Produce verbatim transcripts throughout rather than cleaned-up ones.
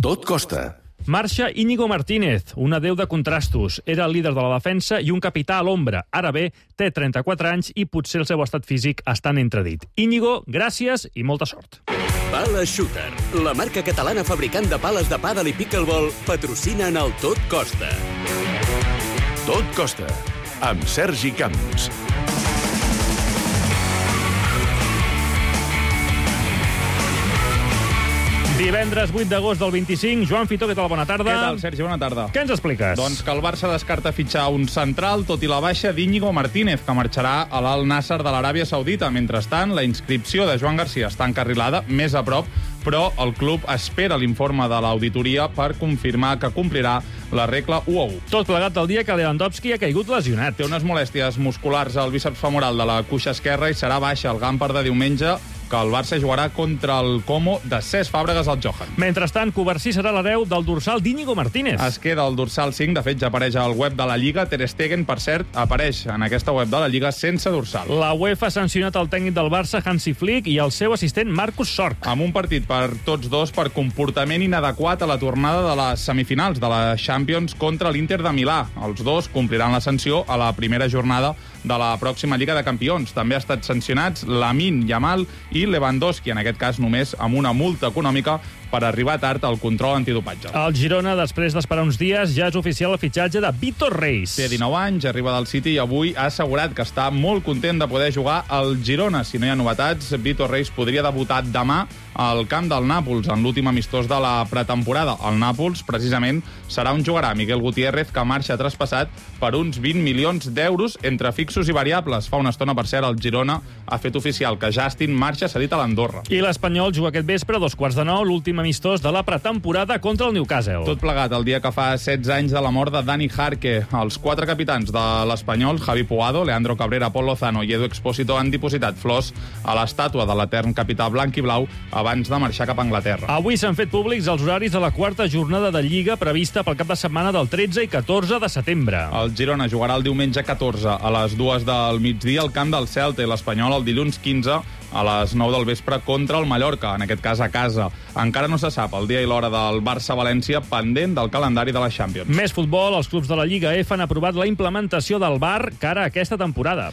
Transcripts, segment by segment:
Tot costa. Marxa Íñigo Martínez, un adéu de contrastos. Era el líder de la defensa i un capità a l'ombra. Ara bé, té trenta-quatre anys i potser el seu estat físic està en entredit. Íñigo, gràcies i molta sort. Pala Shooter, la marca catalana fabricant de pales de pàdel i pickleball, patrocina en el Tot Costa. Tot costa, amb Sergi Camps. Divendres vuit d'agost del vint-i-cinc. Joan Fitó, què tal? Bona tarda. Què tal, Sergi? Bona tarda. Què ens expliques? Doncs que el Barça descarta fitxar un central, tot i la baixa d'Íñigo Martínez, que marxarà a l'Al Nassr de l'Aràbia Saudita. Mentrestant, la inscripció de Joan Garcia està encarrilada, més a prop, però el club espera l'informe de l'auditoria per confirmar que complirà la regla u a u. Tot plegat el dia que Lewandowski ha caigut lesionat. Té unes molèsties musculars al bíceps femoral de la cuixa esquerra i serà baixa el Gamper de diumenge, que el Barça jugarà contra el Como de Cesc Fàbregas al Johan. Mentrestant, Covarsí serà l'hereu del dorsal d'Íñigo Martínez. Es queda el dorsal cinc, de fet ja apareix al web de la Lliga. Ter Stegen, per cert, apareix en aquesta web de la Lliga sense dorsal. La UEFA ha sancionat el tècnic del Barça, Hansi Flick, i el seu assistent, Marcus Sorg. Amb un partit per tots dos per comportament inadequat a la tornada de les semifinals de la Champions contra l'Inter de Milà. Els dos compliran la sanció a la primera jornada de la pròxima Lliga de Campions. També ha estat sancionats Lamine Yamal i Lewandowski, en aquest cas només amb una multa econòmica per arribar tard al control antidopatge. El Girona, després d'esperar uns dies, ja és oficial el fitxatge de Vítor Reis. Té dinou anys, arriba del City i avui ha assegurat que està molt content de poder jugar al Girona. Si no hi ha novetats, Vítor Reis podria debutar demà al camp del Nàpols, en l'últim amistós de la pretemporada. El Nàpols, precisament, serà on jugarà Miguel Gutiérrez, que marxa traspassat per uns vint milions d'euros entre fixos i variables. Fa una estona, per cert, el Girona ha fet oficial que Justin marxa cedit a l'Andorra. I l'Espanyol juga aquest vespre a dos quarts de nou, l'últim amistós de la pretemporada contra el Newcastle. Tot plegat el dia que fa setze anys de la mort de Dani Jarque. Els quatre capitans de l'Espanyol, Javi Puado, Leandro Cabrera, Pol Lozano i Edu Expósito, han dipositat flors a l'estàtua de l'etern capità blanc i blau abans de marxar cap a Anglaterra. Avui s'han fet públics els horaris de la quarta jornada de Lliga prevista pel cap de setmana del tretze i catorze de setembre. El Girona jugarà el diumenge catorze a les dues del migdia al camp del Celta i l'Espanyol el dilluns quinze a les nou del vespre contra el Mallorca, en aquest cas a casa. Encara no se sap el dia i l'hora del Barça-València, pendent del calendari de la Champions. Més futbol, els clubs de la Lliga F han aprovat la implementació del V A R cara a aquesta temporada.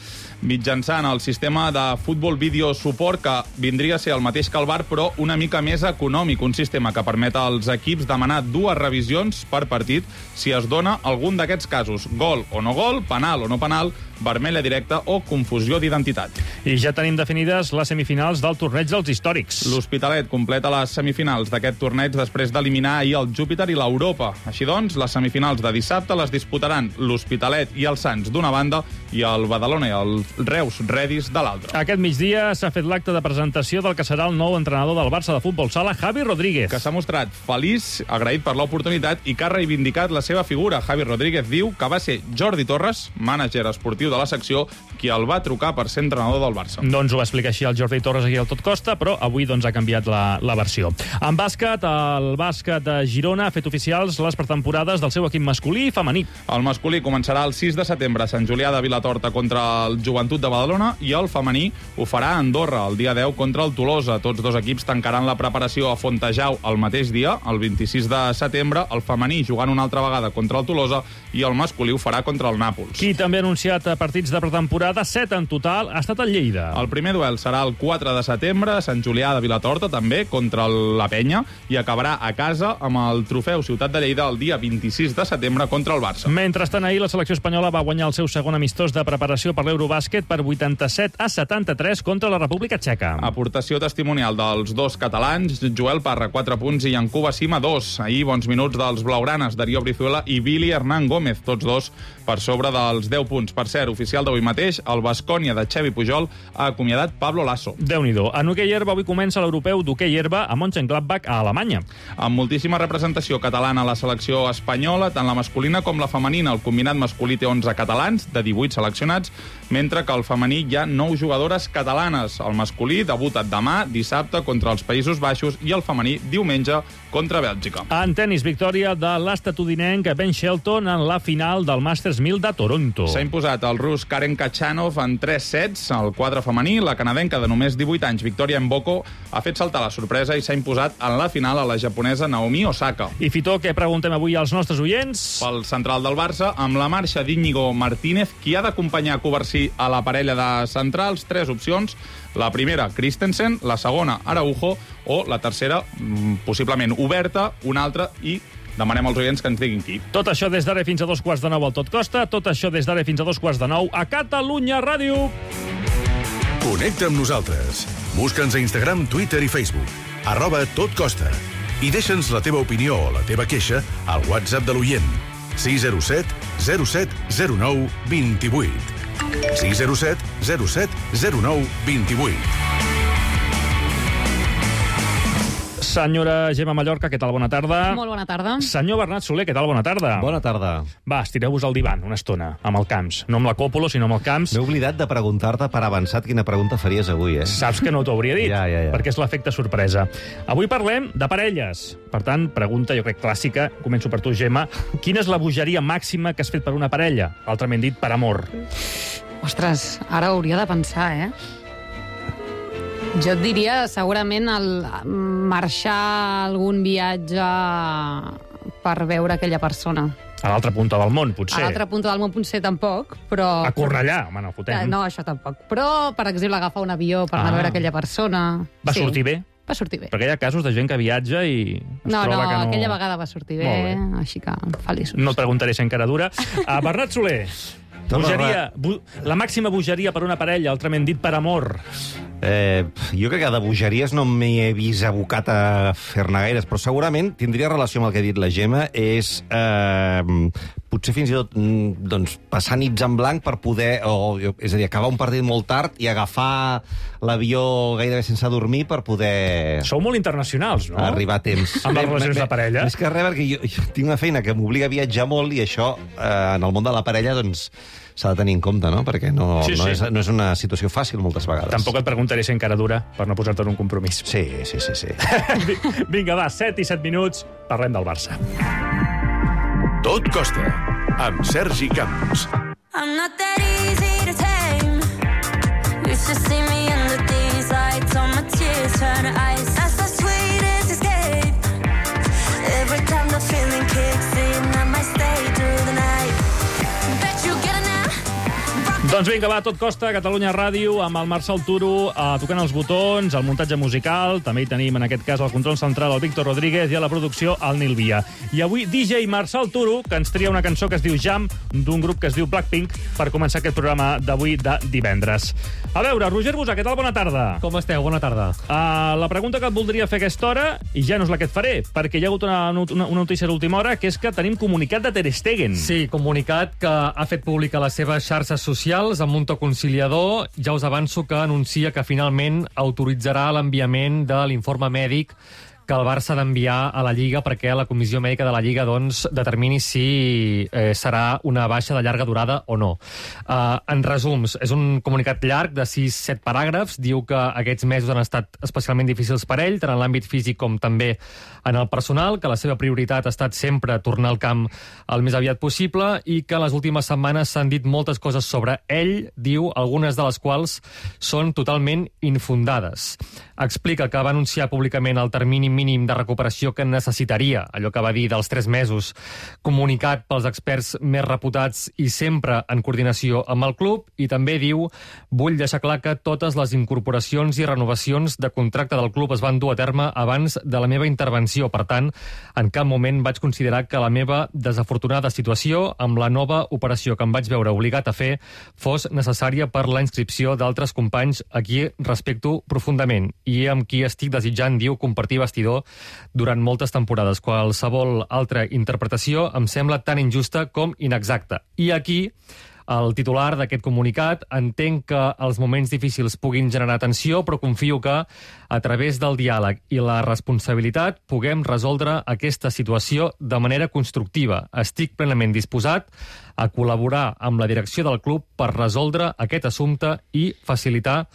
Mitjançant el sistema de futbol vídeo suport, que vindria a ser el mateix que el V A R, però una mica més econòmic, un sistema que permet als equips demanar dues revisions per partit si es dona algun d'aquests casos: gol o no gol, penal o no penal, vermella directa o confusió d'identitat. I ja tenim definides les semifinals del torneig dels històrics. L'Hospitalet completa les semifinals d'aquest torneig després d'eliminar ahir el Júpiter i l'Europa. Així doncs, les semifinals de dissabte les disputaran l'Hospitalet i el Sants d'una banda i el Badalona i el Reus Redis de l'altra. Aquest migdia s'ha fet l'acte de presentació del que serà el nou entrenador del Barça de futbol sala, Javi Rodríguez. Que s'ha mostrat feliç, agraït per l'oportunitat i que ha reivindicat la seva figura. Javi Rodríguez diu que va ser Jordi Torres, mànager esportiu de la secció, qui el va trucar per ser entrenador del Barça. Doncs ho va explicar així el Jordi Torres aquí al Tot Costa, però avui doncs ha canviat la, la versió. En bàsquet, el bàsquet de Girona ha fet oficials les pretemporades del seu equip masculí i femení. El masculí començarà el sis de setembre a Sant Julià de Vilatorta contra el Joventut de Badalona i el femení ho farà a Andorra el dia deu contra el Tolosa. Tots dos equips tancaran la preparació a Fontejau el mateix dia, el vint-i-sis de setembre, el femení jugant una altra vegada contra el Tolosa i el masculí ho farà contra el Nàpols. Qui també ha anunciat partits de pretemporada, set en total, ha estat el Lleida. El primer duel serà el quatre de setembre a Sant Julià de Vilatorta, també, contra la Penya, i acabarà a casa amb el trofeu Ciutat de Lleida el dia vint-i-sis de setembre contra el Barça. Mentrestant, ahir la selecció espanyola va guanyar el seu segon amistós de preparació per l'Eurobàsquet per vuitanta-set a setanta-tres contra la República Txeca. Aportació testimonial dels dos catalans, Joel Parra, quatre punts, i Yankuba Sima, dos. Ahir, bons minuts dels blaugranes, Darío Brizuela i Billy Hernán Gómez, tots dos per sobre dels deu punts. Per cert, oficial d'avui mateix, el Baskonia de Xevi Pujol ha acomiadat Pablo Lasso. Déu-n'hi-do. En hoquei herba avui comença l'europeu d'hoquei herba a Mönchengladbach, a Alemanya. Amb moltíssima representació catalana a la selecció espanyola, tant la masculina com la femenina. El combinat masculí té onze catalans, de divuit seleccionats, mentre que al femení hi ha nou jugadores catalanes. El masculí debuta demà, dissabte, contra els Països Baixos, i el femení diumenge contra Bèlgica. En tenis, victòria de l'estatudinenc Ben Shelton en la final del Masters mil de Toronto. S'ha imposat el el rus Karen Kachanov en tres sets. Al quadre femení, la canadenca de només divuit anys, Victoria Mboko, ha fet saltar la sorpresa i s'ha imposat en la final a la japonesa Naomi Osaka. I Fitó, què preguntem avui als nostres oients? Pel central del Barça, amb la marxa d'Íñigo Martínez, qui ha d'acompanyar Covarsí a la parella de centrals, tres opcions. La primera, Christensen, la segona, Araujo, o la tercera, possiblement oberta, una altra, i demanem als oients que ens diguin qui. Tot això des d'ara fins a dos quarts de nou al Tot Costa, tot això des d'ara fins a dos quarts de nou a Catalunya Ràdio. Connecta amb nosaltres. Busca'ns a Instagram, Twitter i Facebook. Arroba Tot Costa. I deixa'ns la teva opinió o la teva queixa al WhatsApp de l'oient. sis zero set zero set zero nou dos vuit. sis zero set zero set zero nou dos vuit. Senyora Gemma Mallorca, què tal? Bona tarda. Molt bona tarda. Senyor Bernat Soler, què tal? Bona tarda. Bona tarda. Va, estireu-vos al divan una estona, amb el Camps. No amb la Còpolo, sinó amb el Camps. M'he oblidat de preguntar-te per avançat quina pregunta faries avui, eh? Saps que no t'ho hauria dit, Ja, ja, ja. perquè és l'efecte sorpresa. Avui parlem de parelles. Per tant, pregunta, jo crec, clàssica. Començo per tu, Gemma. Quina és la bogeria màxima que has fet per una parella? Altrament dit, per amor. Ostres, ara hauria de pensar, eh? Jo et diria, segurament, el marxar a algun viatge per veure aquella persona. A l'altra punta del món, A potser. l'altra punta del món potser tampoc, però... A Cornellà, home, no fotem. Eh, No, això tampoc. Però, per exemple, agafar un avió per anar Ah. a veure aquella persona... Va Sí, sortir bé? Va sortir bé. Perquè hi ha casos de gent que viatja i es No, troba no, que no... aquella vegada va sortir bé, Molt així que feliços. No et preguntaré si encara dura. A Bernat Soler, No, no, bogeria, bu la màxima bogeria per una parella, altrament dit per amor. Eh, jo crec que de bogeries no m'hi he vist abocat a fer-ne gaires, però segurament tindria relació amb el que ha dit la Gemma, és eh, potser fins i tot mm, doncs, passar nits en blanc per poder, o, és a dir, acabar un partit molt tard i agafar l'avió gairebé sense dormir per poder Sou molt internacionals, no? arribar a temps. Amb les Bé, relacions bé, de parella. Més que res, perquè jo, jo tinc una feina que m'obliga a viatjar molt i això, eh, en el món de la parella, doncs, s'ha de tenir en compte, no? Perquè no, Sí, no, sí. és, no és una situació fàcil moltes vegades. Tampoc et preguntaré si encara dura, per no posar-te en un compromís. Sí, sí, sí, sí. Vinga, va, set i set minuts, parlem del Barça. Tot Costa, amb Sergi Camps. I'm not that easy to tame. You should see me under these lights. All my tears turn to ice. That's the sweetest escape. Every time the feeling kicks in, I might stay through the night. Bet you get it now. Doncs vinga, va, Tot Costa, Catalunya Ràdio, amb el Marçal Turo eh, tocant els botons, el muntatge musical, també hi tenim, en aquest cas, el control central, el Víctor Rodríguez, i a la producció, el Nil Via. I avui, D J Marçal Turo, que ens tria una cançó que es diu Jam, d'un grup que es diu Blackpink, per començar aquest programa d'avui de divendres. A veure, Roger Busà, què tal? Bona tarda. Com esteu? Bona tarda. Uh, la pregunta que et voldria fer a aquesta hora, i ja no és la que et faré, perquè hi ha hagut una, una, una notícia d'última hora, que és que tenim comunicat de Ter Stegen. Sí, comunicat que ha fet públic a les seves xarxes socials amb un to conciliador. Ja us avanço que anuncia que finalment autoritzarà l'enviament de l'informe mèdic que el Barça ha d'enviar a la Lliga perquè la comissió mèdica de la Lliga doncs, determini si eh, serà una baixa de llarga durada o no. Uh, en resums, és un comunicat llarg de sis set paràgrafs. Diu que aquests mesos han estat especialment difícils per ell, tant en l'àmbit físic com també en el personal, que la seva prioritat ha estat sempre tornar al camp el més aviat possible i que en les últimes setmanes s'han dit moltes coses sobre ell, diu, algunes de les quals són totalment infundades. Explica que va anunciar públicament el termini mínim de recuperació que necessitaria, allò que va dir dels tres mesos, comunicat pels experts més reputats i sempre en coordinació amb el club, i també diu: vull deixar clar que totes les incorporacions i renovacions de contracte del club es van dur a terme abans de la meva intervenció. Per tant, en cap moment vaig considerar que la meva desafortunada situació amb la nova operació que em vaig veure obligat a fer fos necessària per la inscripció d'altres companys a qui respecto profundament i amb qui estic desitjant, diu, compartir vestidor durant moltes temporades. Qualsevol altra interpretació em sembla tan injusta com inexacta. I aquí el titular d'aquest comunicat: entenc que els moments difícils puguin generar tensió, però confio que, a través del diàleg i la responsabilitat, puguem resoldre aquesta situació de manera constructiva. Estic plenament disposat a col·laborar amb la direcció del club per resoldre aquest assumpte i facilitar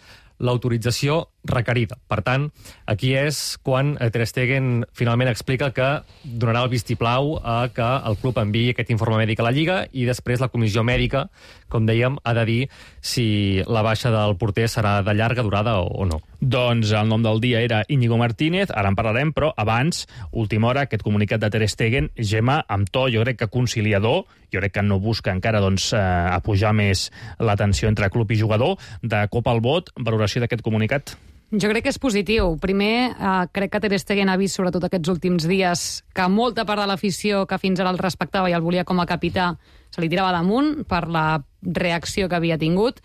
l'autorització requerida. Per tant, aquí és quan Ter Stegen finalment explica que donarà el vistiplau a que el club enviï aquest informe mèdic a la Lliga i després la comissió mèdica, com dèiem, ha de dir si la baixa del porter serà de llarga durada o no. Doncs el nom del dia era Íñigo Martínez, ara en parlarem, però abans, última hora, aquest comunicat de Ter Stegen, Gemma, amb to, jo crec que conciliador, jo crec que no busca encara doncs, eh, apujar més la tensió entre club i jugador, de cop al vot, valoració d'aquest comunicat. Jo crec que és positiu. Primer, eh, crec que Ter Stegen ha vist, sobretot aquests últims dies, que molta part de l'afició que fins ara el respectava i el volia com a capità se li tirava damunt per la reacció que havia tingut,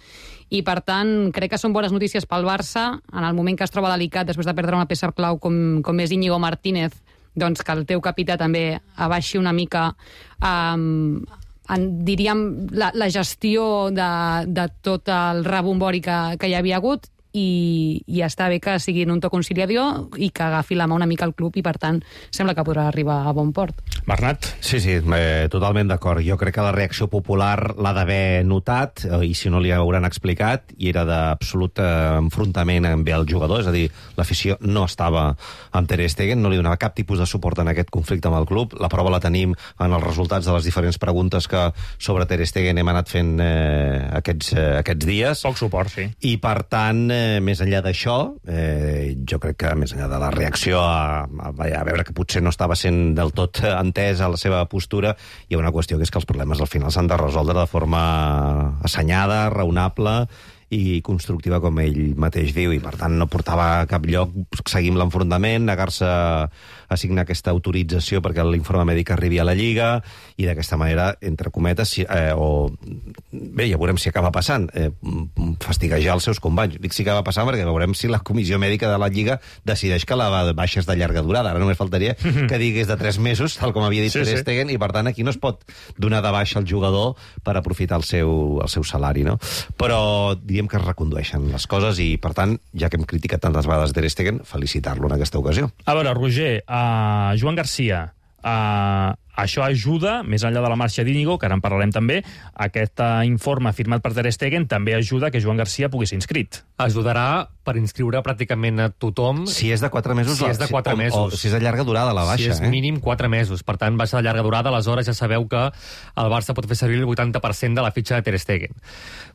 i per tant crec que són bones notícies pel Barça en el moment que es troba delicat després de perdre una peça clau com, com és Íñigo Martínez, doncs que el teu capità també abaixi una mica um, en, diríem la, la gestió de, de tot el rebombori que, que hi havia hagut, i, i està bé que sigui en un to conciliador i que agafi la mà una mica al club, i per tant sembla que podrà arribar a bon port. Bernat? Sí, sí, eh, totalment d'acord. Jo crec que la reacció popular l'ha d'haver notat, eh, i si no li hauran explicat, i era d'absolut eh, enfrontament amb el jugador, és a dir, l'afició no estava amb Ter Stegen, no li donava cap tipus de suport en aquest conflicte amb el club. La prova la tenim en els resultats de les diferents preguntes que sobre Ter Stegen hem anat fent eh, aquests, eh, aquests dies. Poc suport, sí. I per tant, eh, més enllà d'això, eh, jo crec que més enllà de la reacció a, a, a veure que potser no estava sent del tot entès a la seva postura, hi ha una qüestió que és que els problemes al final s'han de resoldre de forma assenyada, raonable i constructiva, com ell mateix diu, i per tant no portava a cap lloc seguir l'enfrontament, negar-se a signar aquesta autorització perquè l'informe mèdic arribi a la Lliga, i d'aquesta manera, entre cometes, si, eh, o bé, ja veurem si acaba passant, eh, fastiguejar els seus companys. Dic si acaba passant perquè veurem si la comissió mèdica de la Lliga decideix que la baixa és de llarga durada. Ara només faltaria que digués de tres mesos, tal com havia dit sí, Ter sí. Stegen, i per tant aquí no es pot donar de baixa al jugador per aprofitar el seu, el seu salari, no? Però diem que es recondueixen les coses i, per tant, ja que hem criticat tantes vegades Ter Stegen, felicitar-lo en aquesta ocasió. A veure, Roger, uh, Joan Garcia, uh, això ajuda, més enllà de la marxa d'Íñigo, que ara en parlarem també, aquest uh, informe firmat per Ter Stegen també ajuda que Joan Garcia pugui ser inscrit. Ajudarà per inscriure pràcticament a tothom. Si és de quatre mesos... Si és de quatre o, mesos. O, si és de llarga durada, la baixa. Si és eh? mínim quatre mesos. Per tant, baixa de llarga durada, aleshores ja sabeu que el Barça pot fer servir el vuitanta per cent de la fitxa de Ter Stegen.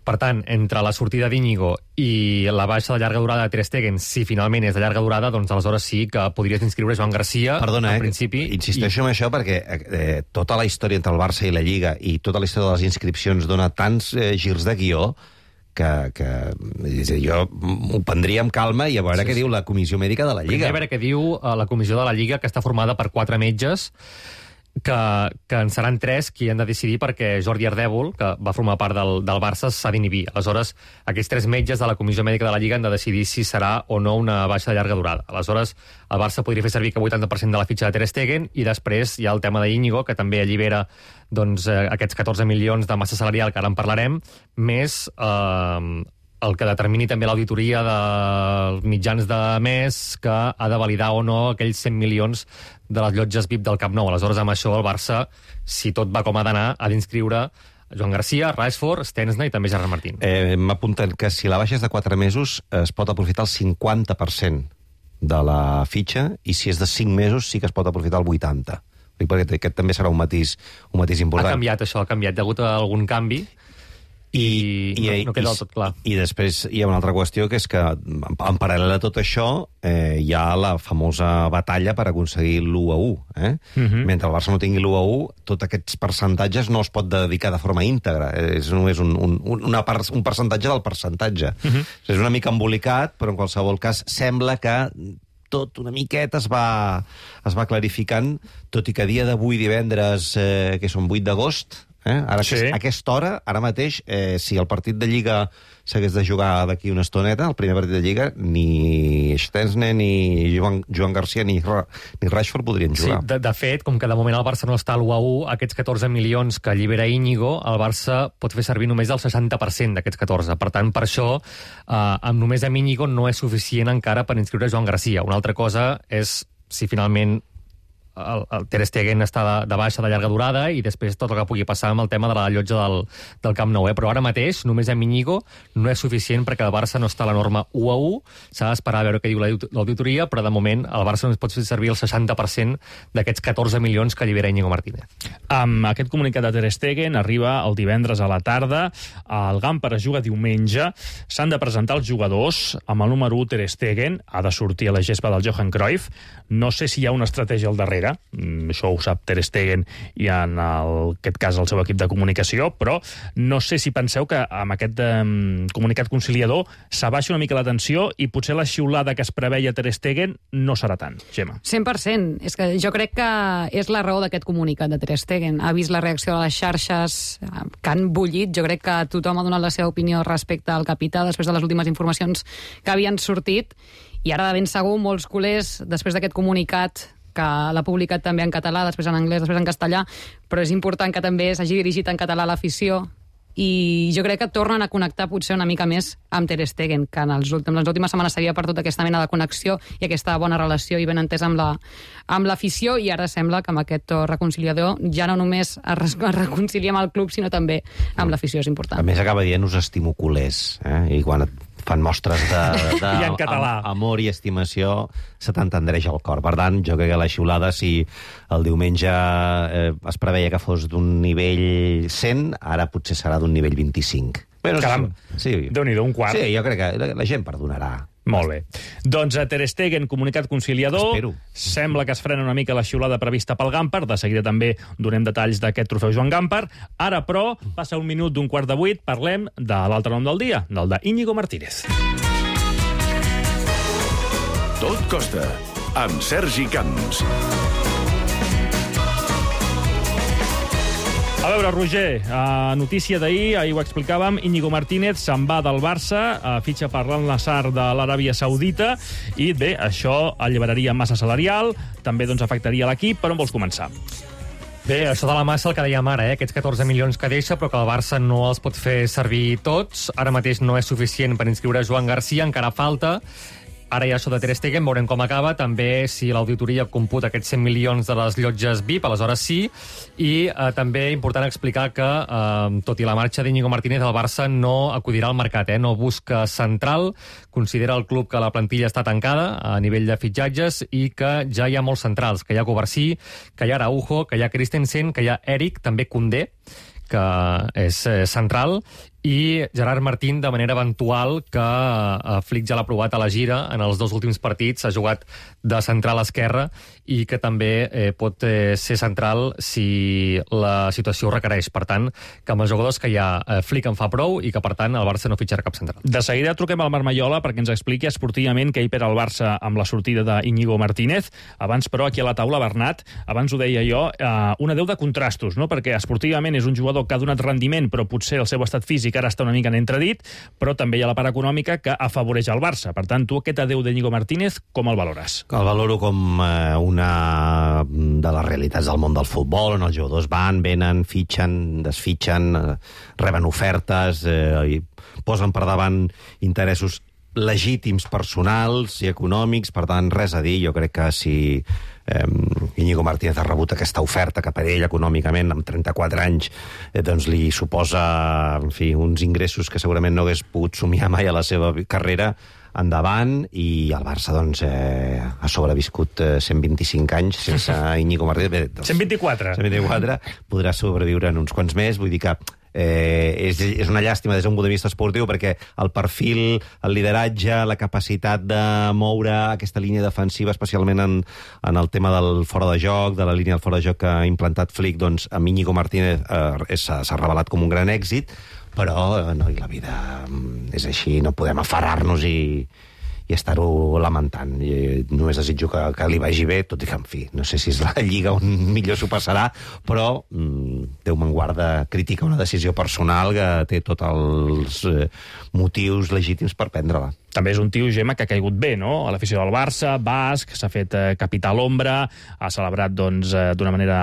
Per tant, entre la sortida d'Íñigo i la baixa de llarga durada de Ter Stegen, si finalment és de llarga durada, doncs aleshores sí que podries inscriure Joan Garcia. Perdona, en eh, principi. Insisteixo i... en això perquè eh, tota la història entre el Barça i la Lliga i tota la història de les inscripcions dona tants eh, girs de guió que, que és a dir, jo ho prendria amb calma i a veure sí, què sí. diu la comissió mèdica de la Lliga. Primer a veure què diu uh, la comissió de la Lliga, que està formada per quatre metges, que, que en seran tres qui han de decidir, perquè Jordi Ardèvol, que va formar part del, del Barça, s'ha d'inhibir. Aleshores, aquests tres metges de la comissió mèdica de la Lliga han de decidir si serà o no una baixa de llarga durada. Aleshores, el Barça podria fer servir que vuitanta per cent de la fitxa de Ter Stegen, i després hi ha el tema d'Íñigo, que també allibera doncs, eh, aquests catorze milions de massa salarial, que ara en parlarem, més eh, el que determini també l'auditoria dels mitjans de mes, que ha de validar o no aquells cent milions de les llotges V I P del Camp Nou. Aleshores, amb això, el Barça, si tot va com ha d'anar, ha d'inscriure Joan Garcia, Rashford, Stensna i també Gerard Martín. Eh, M'apunten que si la baixa és de quatre mesos es pot aprofitar el cinquanta per cent de la fitxa, i si és de cinc mesos sí que es pot aprofitar el vuitanta per cent. Perquè aquest també serà un matís, un matís important. Ha canviat això, ha canviat. Hi ha hagut algun canvi i, i no, no queda del tot clar. I, I després hi ha una altra qüestió, que és que en paral·lel a tot això eh, hi ha la famosa batalla per aconseguir l'u a u. Eh? Uh-huh. Mentre el Barça no tingui l'u a u, tots aquests percentatges no es pot dedicar de forma íntegra. És només un, un, una part, un percentatge del percentatge. Uh-huh. És una mica embolicat, però en qualsevol cas sembla que tot una miqueta es va, es va clarificant, tot i que a dia d'avui, divendres, eh, que són vuit d'agost, eh? Ara sí. a aquesta hora, ara mateix, eh, si el partit de Lliga s'hagués de jugar d'aquí una estoneta, el primer partit de Lliga, ni Stensne, ni Joan, Joan Garcia, ni, ni Rashford podrien jugar. Sí, de, de fet, com que de moment el Barça no està a l'u a u, aquests catorze milions que allibera Íñigo, el Barça pot fer servir només el seixanta per cent d'aquests catorze. Per tant, per això, eh, amb només amb Íñigo no és suficient encara per inscriure Joan Garcia. Una altra cosa és si finalment el, el Ter Stegen està de, de baixa de llarga durada i després tot el que pugui passar amb el tema de la llotja del, del Camp Nou. Eh? Però ara mateix, només amb Íñigo, no és suficient perquè el Barça no està a la norma u a u. S'ha d'esperar a veure què diu l'auditoria, però de moment el Barça només pot fer servir el seixanta per cent d'aquests catorze milions que allibera Íñigo Martínez. Amb aquest comunicat de Ter Stegen arriba el divendres a la tarda. El Gamper es juga diumenge. S'han de presentar els jugadors amb el número u Ter Stegen. Ha de sortir a la gespa del Johan Cruyff. No sé si hi ha una estratègia al darrere. Mm, això ho sap Ter Stegen i en el, aquest cas el seu equip de comunicació, però no sé si penseu que amb aquest um, comunicat conciliador s'abaixa una mica la tensió i potser la xiulada que es preveia Ter Stegen no serà tant, Gemma. cent per cent. És que jo crec que és la raó d'aquest comunicat de Ter Stegen. Ha vist la reacció de les xarxes que han bullit. Jo crec que tothom ha donat la seva opinió respecte al capità després de les últimes informacions que havien sortit. I ara, de ben segur, molts culers, després d'aquest comunicat, que l'ha publicat també en català, després en anglès, després en castellà, però és important que també s'hagi dirigit en català a l'afició, i jo crec que tornen a connectar potser una mica més amb Ter Stegen, que en, els últims, en les últimes setmanes s'havia perdut aquesta mena de connexió i aquesta bona relació i ben entès amb la, amb l'afició, i ara sembla que amb aquest to reconciliador ja no només es, es reconcilia amb el club, sinó també amb l'afició, és important. A més, acaba dient us estimo culers, eh? I quan et fan mostres de, de I en català. am, amor i estimació, se t'entendreix el cor. Per tant, jo crec que la xiulada, si el diumenge eh, es preveia que fos d'un nivell cent, ara potser serà d'un nivell vint-i-cinc. Bueno, Caram, sí. Déu-n'hi-do, un quart. Sí, jo crec que la, la gent perdonarà. Molt bé. Doncs a Ter Stegen, comunicat conciliador. Espero. Sembla que es frena una mica la xiulada prevista pel Gamper. De seguida també donem detalls d'aquest trofeu Joan Gamper. Ara, però, passa un minut d'un quart de vuit, parlem de l'altre nom del dia, del de Íñigo Martínez. Tot costa, amb Sergi Camps. A veure, Roger, uh, notícia d'ahir, ahir ho explicàvem, Íñigo Martínez se'n va del Barça, uh, fitxa per l'Al-Nassr de l'Aràbia Saudita, i bé, això alliberaria massa salarial, també doncs afectaria l'equip. Per on vols començar? Bé, això de la massa el que dèiem ara, eh? Aquests catorze milions que deixa, però que el Barça no els pot fer servir tots. Ara mateix no és suficient per inscriure Joan Garcia, encara falta. Ara hi ha això de Ter Stegen, veurem com acaba. També si l'auditoria computa aquests cent milions de les llotges V I P, aleshores sí. I eh, també important explicar que, eh, tot i la marxa d'Íñigo Martínez, el Barça no acudirà al mercat, eh? No busca central, considera el club que la plantilla està tancada a nivell de fitxatges i que ja hi ha molts centrals, que hi ha Covarsí, que hi ha Araujo, que hi ha Christensen, que hi ha Eric, també Koundé, que és eh, central, i Gerard Martín, de manera eventual, que eh, Flick ja l'ha provat a la gira en els dos últims partits, ha jugat de central esquerra i que també eh, pot eh, ser central si la situació ho requereix. Per tant, que amb els jugadors que hi ha, eh, Flick en fa prou i que, per tant, el Barça no fitxarà cap central. De seguida truquem al Marc Maiola perquè ens expliqui esportivament què hi perd el Barça amb la sortida d'Íñigo Martínez. Abans, però, aquí a la taula, Bernat, abans ho deia jo, eh, una deu de contrastos, no? Perquè esportivament és un jugador que ha donat rendiment, però potser el seu estat físic ara està una mica en entredit, però també hi ha la part econòmica que afavoreix el Barça. Per tant, tu aquest adeu d'Íñigo Martínez, com el valores? El valoro com eh, una de les realitats del món del futbol, on els jugadors van, venen, fitxen, desfitxen, eh, reben ofertes, eh, i posen per davant interessos legítims personals i econòmics, per tant, res a dir. Jo crec que si eh, Íñigo Martínez ha rebut aquesta oferta cap a ell econòmicament, amb trenta-quatre anys, eh, doncs li suposa, en fi, uns ingressos que segurament no hagués pogut somiar mai a la seva carrera, endavant, i el Barça doncs, eh, ha sobreviscut eh, cent vint-i-cinc anys sense Íñigo Martínez. Bé, doncs, cent vint-i-quatre. cent vint-i-quatre, podrà sobreviure en uns quants més, vull dir que Eh, és, és una llàstima des d'un punt de vista esportiu, perquè el perfil, el lideratge, la capacitat de moure aquesta línia defensiva, especialment en, en el tema del fora de joc, de la línia del fora de joc que ha implantat Flick, doncs amb Íñigo Martínez eh, s'ha revelat com un gran èxit, però eh, no, i la vida és així, no podem aferrar-nos i, i estar-ho lamentant. I només desitjo que, que li vagi bé, tot i que, en fi, no sé si és la Lliga on millor s'ho passarà, però mm, Déu me'n guarda, critica una decisió personal que té tots els eh, motius legítims per prendre-la. També és un tio, Gemma, que ha caigut bé, no? A l'afició del Barça, basc, s'ha fet eh, capità a l'ombra, ha celebrat doncs, eh, d'una manera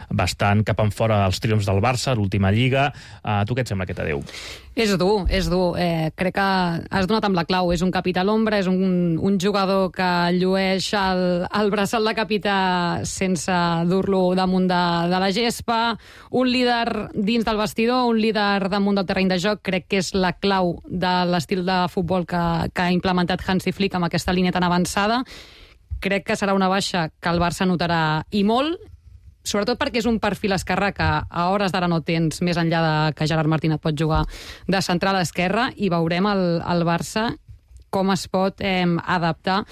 bastant cap en fora els triomfs del Barça, l'última Lliga. Eh, tu què et sembla aquest adeu? És dur, és dur. Eh, crec que has donat amb la clau. És un capità a l'ombra, és un, un jugador que llueix el, el braçal de capità sense dur-lo damunt de, de la gespa. Un líder dins del vestidor, un líder damunt del terreny de joc. Crec que és la clau de l'estil de futbol que, que ha implementat Hansi Flick amb aquesta línia tan avançada. Crec que serà una baixa que el Barça notarà i molt, sobretot perquè és un perfil esquerrà que a hores d'ara no tens, més enllà de que Gerard Martín et pot jugar de central a esquerra, i veurem el, el Barça com es pot eh, adaptar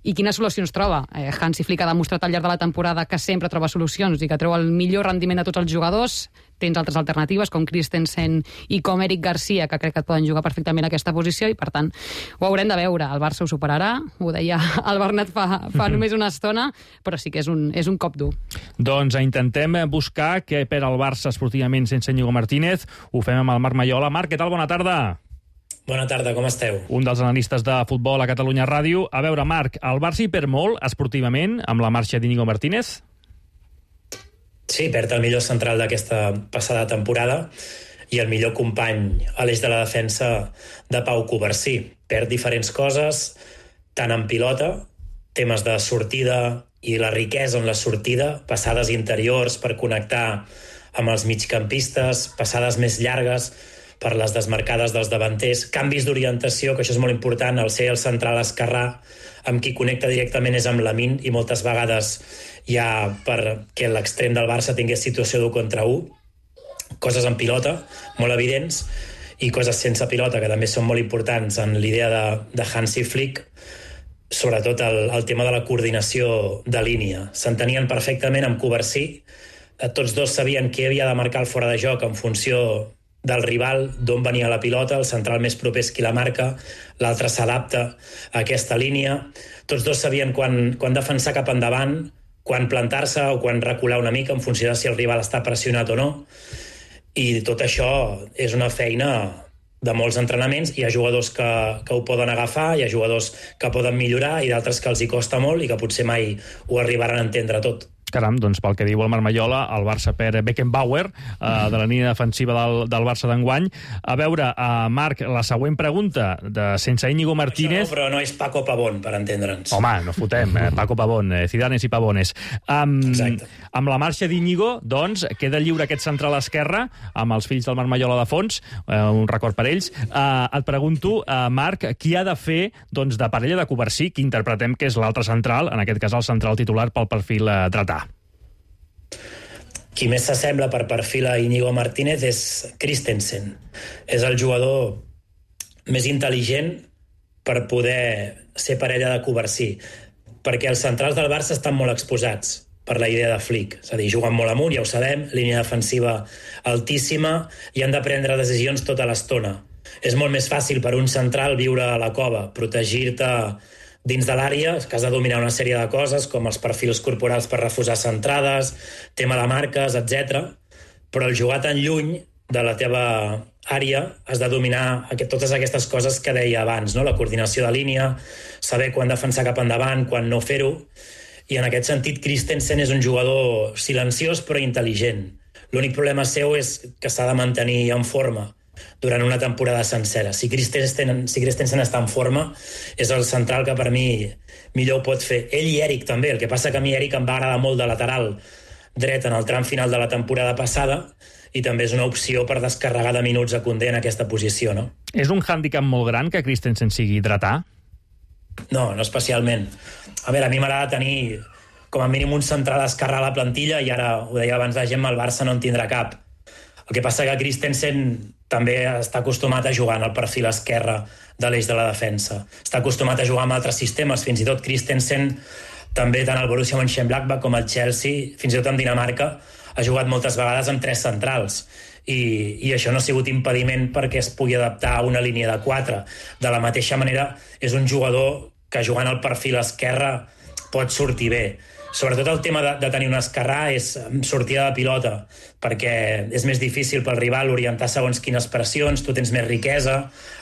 i quines solucions troba. Eh, Hansi Flick ha demostrat al llarg de la temporada que sempre troba solucions i que treu el millor rendiment de tots els jugadors. Tens altres alternatives, com Christensen i com Eric Garcia, que crec que et poden jugar perfectament a aquesta posició, i per tant ho haurem de veure. El Barça ho superarà, ho deia el Bernat fa, fa només una estona, però sí que és un, és un cop dur. Doncs intentem buscar què per al Barça esportivament sense Íñigo Martínez. Ho fem amb el Marc Maiola. Marc, què tal? Bona tarda. Bona tarda, com esteu? Un dels analistes de futbol a Catalunya Ràdio. A veure, Marc, el Barça hi perd molt esportivament amb la marxa d'Íñigo Martínez? Sí, perd el millor central d'aquesta passada temporada i el millor company a l'eix de la defensa de Pau Covarsí. Perd diferents coses, tant en pilota, temes de sortida i la riquesa en la sortida, passades interiors per connectar amb els migcampistes, passades més llargues per les desmarcades dels davanters, canvis d'orientació, que això és molt important, el ser el central esquerrà, amb qui connecta directament és amb Lamine, i moltes vegades ja perquè l'extrem del Barça tingués situació d'un contra un, coses en pilota, molt evidents, i coses sense pilota, que també són molt importants en l'idea de, de Hansi Flick, sobretot el, el tema de la coordinació de línia. S'entenien perfectament amb Covarsí, tots dos sabien qui havia de marcar el fora de joc en funció del rival, d'on venia la pilota, el central més proper és qui la marca, l'altre s'adapta a aquesta línia. Tots dos sabien quan, quan defensar cap endavant, quan plantar-se o quan recular una mica en funció de si el rival està pressionat o no. I tot això és una feina de molts entrenaments. Hi ha jugadors que, que ho poden agafar, hi ha jugadors que poden millorar i d'altres que els hi costa molt i que potser mai ho arribaran a entendre tot. Caram, doncs pel que diu el Marc Maiola, el Barça per Beckenbauer, eh, de la línia defensiva del, del Barça d'enguany. A veure, eh, Marc, la següent pregunta, de sense Íñigo Martínez... Això no, però no és Paco Pavón, per entendre'ns. Home, no fotem, eh? Paco Pavón, eh? Cidanes i Pavones. Um, Exacte. Amb la marxa d'Íñigo, doncs, queda lliure aquest central esquerre, amb els fills del Marc Maiola de fons, eh, un record per ells. Eh, et pregunto, eh, Marc, qui ha de fer doncs, de parella de Covarsí, que interpretem que és l'altre central, en aquest cas el central titular pel perfil eh, dretà? Qui més s'assembla per perfil a Íñigo Martínez és Christensen. És el jugador més intel·ligent per poder ser parella de Covarsí, perquè els centrals del Barça estan molt exposats per la idea de Flick. És a dir, juguen molt amunt, ja ho sabem, línia defensiva altíssima, i han de prendre decisions tota l'estona. És molt més fàcil per un central viure a la cova, protegir-te dins de l'àrea, que has de dominar una sèrie de coses, com els perfils corporals per refusar centrades, tema de marques, etcètera. Però el jugar tan lluny de la teva àrea has de dominar aquest, totes aquestes coses que deia abans, no? La coordinació de línia, saber quan defensar cap endavant, quan no fer-ho. I en aquest sentit, Christensen és un jugador silenciós però intel·ligent. L'únic problema seu és que s'ha de mantenir en forma durant una temporada sencera. Si Christensen, si Christensen està en forma, és el central que per mi millor ho pot fer. Ell i Eric també, el que passa que a mi Eric em va agradar molt de lateral dret en el tram final de la temporada passada, i també és una opció per descarregar de minuts a Koundé en aquesta posició, no? És un hàndicap molt gran que Christensen sigui dretà? No, no especialment. A veure, a mi m'agrada tenir com a mínim un central esquerrà a la plantilla, i ara, ho deia abans la Gemma, el Barça no en tindrà cap. El que passa que Christensen també està acostumat a jugar en el perfil esquerre de l'eix de la defensa. Està acostumat a jugar amb altres sistemes. Fins i tot Christensen, també tant al Borussia Mönchengladbach com al Chelsea, fins i tot en Dinamarca, ha jugat moltes vegades amb tres centrals. I, i això no ha sigut impediment perquè es pugui adaptar a una línia de quatre. De la mateixa manera, és un jugador que jugant al perfil esquerre pot sortir bé. Sobretot el tema de, de tenir un esquerrà és sortida de pilota, perquè és més difícil pel rival orientar segons quines pressions, tu tens més riquesa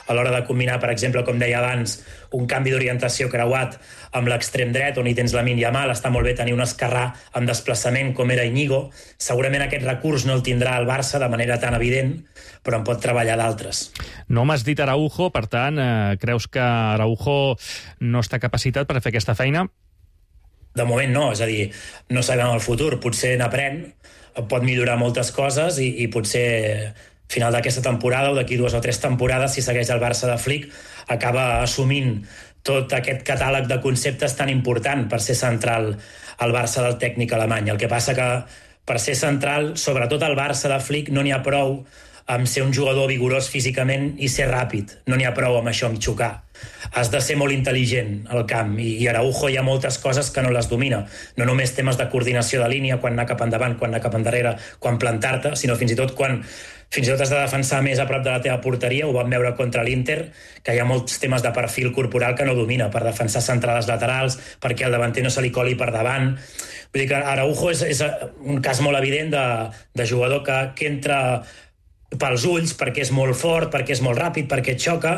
a l'hora de combinar, per exemple, com deia abans, un canvi d'orientació creuat amb l'extrem dret, on hi tens Lamine Yamal, està molt bé tenir un esquerrà amb desplaçament com era Íñigo. Segurament aquest recurs no el tindrà el Barça de manera tan evident, però en pot treballar d'altres. No m'has dit Araujo, per tant, eh, creus que Araujo no està capacitat per fer aquesta feina? De moment no, és a dir, no sabem el futur. Potser n'aprèn, pot millorar moltes coses i, i potser final d'aquesta temporada o d'aquí dues o tres temporades, si segueix el Barça de Flick, acaba assumint tot aquest catàleg de conceptes tan important per ser central al Barça del tècnic alemany. El que passa que per ser central, sobretot al Barça de Flick, no n'hi ha prou amb ser un jugador vigorós físicament i ser ràpid. No n'hi ha prou amb això, amb xocar. Has de ser molt intel·ligent al camp, i, i Araujo hi ha moltes coses que no les domina. No només temes de coordinació de línia, quan anar cap endavant, quan anar cap endarrere, quan plantar-te, sinó fins i tot quan fins i tot has de defensar més a prop de la teva porteria. Ho vam veure contra l'Inter, que hi ha molts temes de perfil corporal que no domina, per defensar centrades laterals, perquè el davanter no se li coli per davant. Vull dir que Araujo és, és un cas molt evident de, de jugador que, que entra pels ulls, perquè és molt fort, perquè és molt ràpid, perquè et xoca,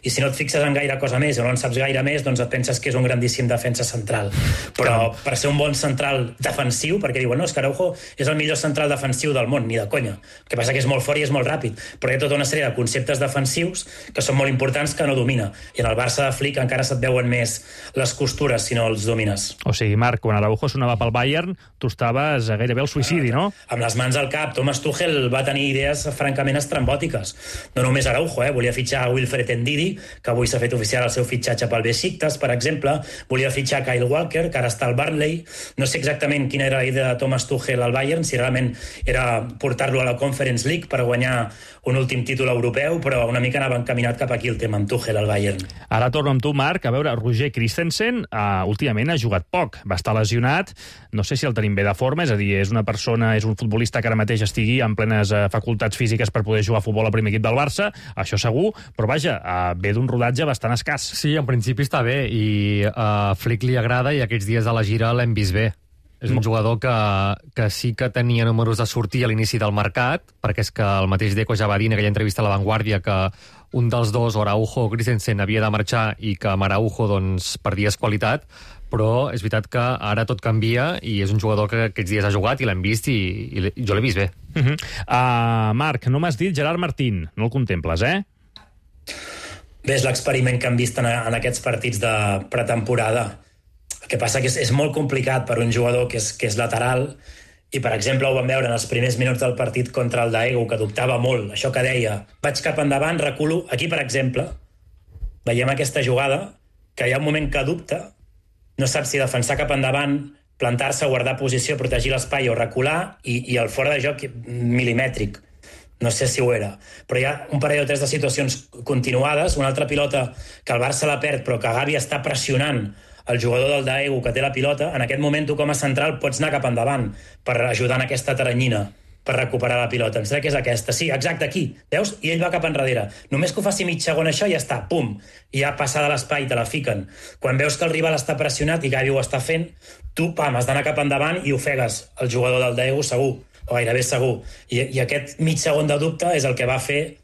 i si no et fixes en gaire cosa més o no en saps gaire més, doncs et penses que és un grandíssim defensa central. Però per ser un bon central defensiu, perquè diuen, no, és que Araujo és el millor central defensiu del món, ni de conya. El que passa que és molt fort i és molt ràpid, però hi ha tota una sèrie de conceptes defensius que són molt importants que no domina, i en el Barça de Flick encara se't veuen més les costures si no els domines. O sigui, Marc, quan Araujo sonava pel Bayern, tu estaves gairebé al suïcidi, no? Amb les mans al cap. Thomas Tuchel va tenir idees francament estrambòtiques. No només Araujo, eh? Volia fitxar a Wilfred Ndidi, que avui s'ha fet oficial el seu fitxatge pel Besiktas, per exemple. Volia fitxar Kyle Walker, que ara està al Burnley. No sé exactament quina era la idea de Thomas Tuchel al Bayern, si realment era portar-lo a la Conference League per guanyar un últim títol europeu, però una mica anava encaminat cap aquí el tema amb Tuchel al Bayern. Ara torno amb tu, Marc. A veure, Roger Christensen uh, últimament ha jugat poc, va estar lesionat, no sé si el tenim bé de forma, és a dir, és una persona, és un futbolista que ara mateix estigui en plenes uh, facultats físiques per poder jugar a futbol al primer equip del Barça, això segur, però vaja, uh, ve d'un rodatge bastant escàs. Sí, en principi està bé, i a uh, Flick li agrada, i aquests dies de la gira l'hem vist bé. És un jugador que, que sí que tenia números de sortir a l'inici del mercat, perquè és que el mateix Deco ja va dir en aquella entrevista a La Vanguardia que un dels dos, Araujo o Christensen, havia de marxar i que amb Araujo doncs, perdies qualitat, però és veritat que ara tot canvia i és un jugador que aquests dies ha jugat i l'hem vist i, i jo l'he vist bé. Uh -huh. uh, Marc, no m'has dit Gerard Martín, no el contemples, eh? Bé, és l'experiment que hem vist en, en aquests partits de pretemporada. El que passa que és, és molt complicat per un jugador que és, que és lateral, i, per exemple, ho vam veure en els primers minuts del partit contra el Daegu, que dubtava molt, això que deia, vaig cap endavant, reculo. Aquí, per exemple, veiem aquesta jugada, que hi ha un moment que dubta, no sap si defensar cap endavant, plantar-se, guardar posició, protegir l'espai o recular, i, i el fora de joc milimètric. No sé si ho era. Però hi ha un parell o tres de situacions continuades, una altra pilota que el Barça la perd, però que Gavi està pressionant el jugador del Daegu que té la pilota. En aquest moment tu com a central pots anar cap endavant per ajudar en aquesta teranyina, per recuperar la pilota. Em sembla que és aquesta. Sí, exacte, aquí. Veus? I ell va cap enrere. Només que ho faci mig segon això, ja està. Pum! I ja passa de l'espai, te la fiquen. Quan veus que el rival està pressionat i Gavi ho està fent, tu, pam, has d'anar cap endavant i ofegues el jugador del Daegu segur, o gairebé segur. I, i aquest mig segon de dubte és el que va fer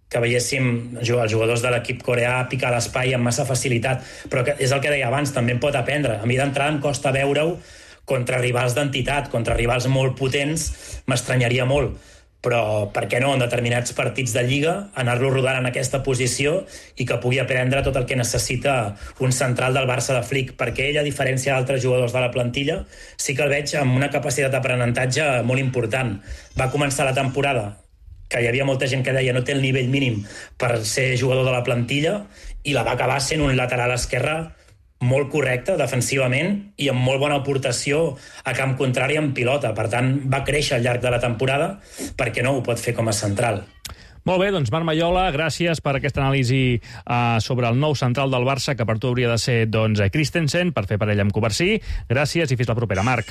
que veiéssim els jugadors de l'equip coreà picar l'espai amb massa facilitat. Però és el que deia abans, també en pot aprendre. A mi d'entrada em costa veure-ho contra rivals d'entitat, contra rivals molt potents, m'estranyaria molt. Però per què no, en determinats partits de Lliga, anar-lo rodant en aquesta posició i que pugui aprendre tot el que necessita un central del Barça de Flick, perquè ell, a diferència d'altres jugadors de la plantilla, sí que el veig amb una capacitat d'aprenentatge molt important. Va començar la temporada que hi havia molta gent que deia no té el nivell mínim per ser jugador de la plantilla, i la va acabar sent un lateral esquerre molt correcte defensivament i amb molt bona aportació a camp contrari en pilota. Per tant, va créixer al llarg de la temporada, perquè no ho pot fer com a central. Molt bé, doncs Marc Maiola, gràcies per aquesta anàlisi uh, sobre el nou central del Barça, que per tu hauria de ser doncs, Christensen, per fer parella amb Covarsí. Gràcies i fins la propera, Marc.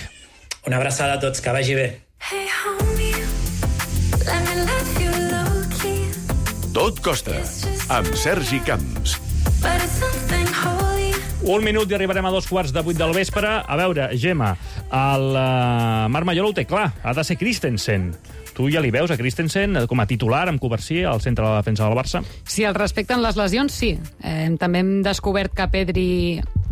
Una abraçada a tots, que vagi bé. Hey, homie, let me love you low-key. Tot costa, amb Sergi Camps. But it's something holy, Un minut i arribarem a dos quarts de vuit del vespre. A veure, Gemma, el uh, Marc Mayol ho té clar, ha de ser Christensen. Tu ja li veus a Christensen com a titular amb Covarsí al centre de la defensa del Barça? Si el respecten les lesions, sí. Eh, també hem descobert que Pedri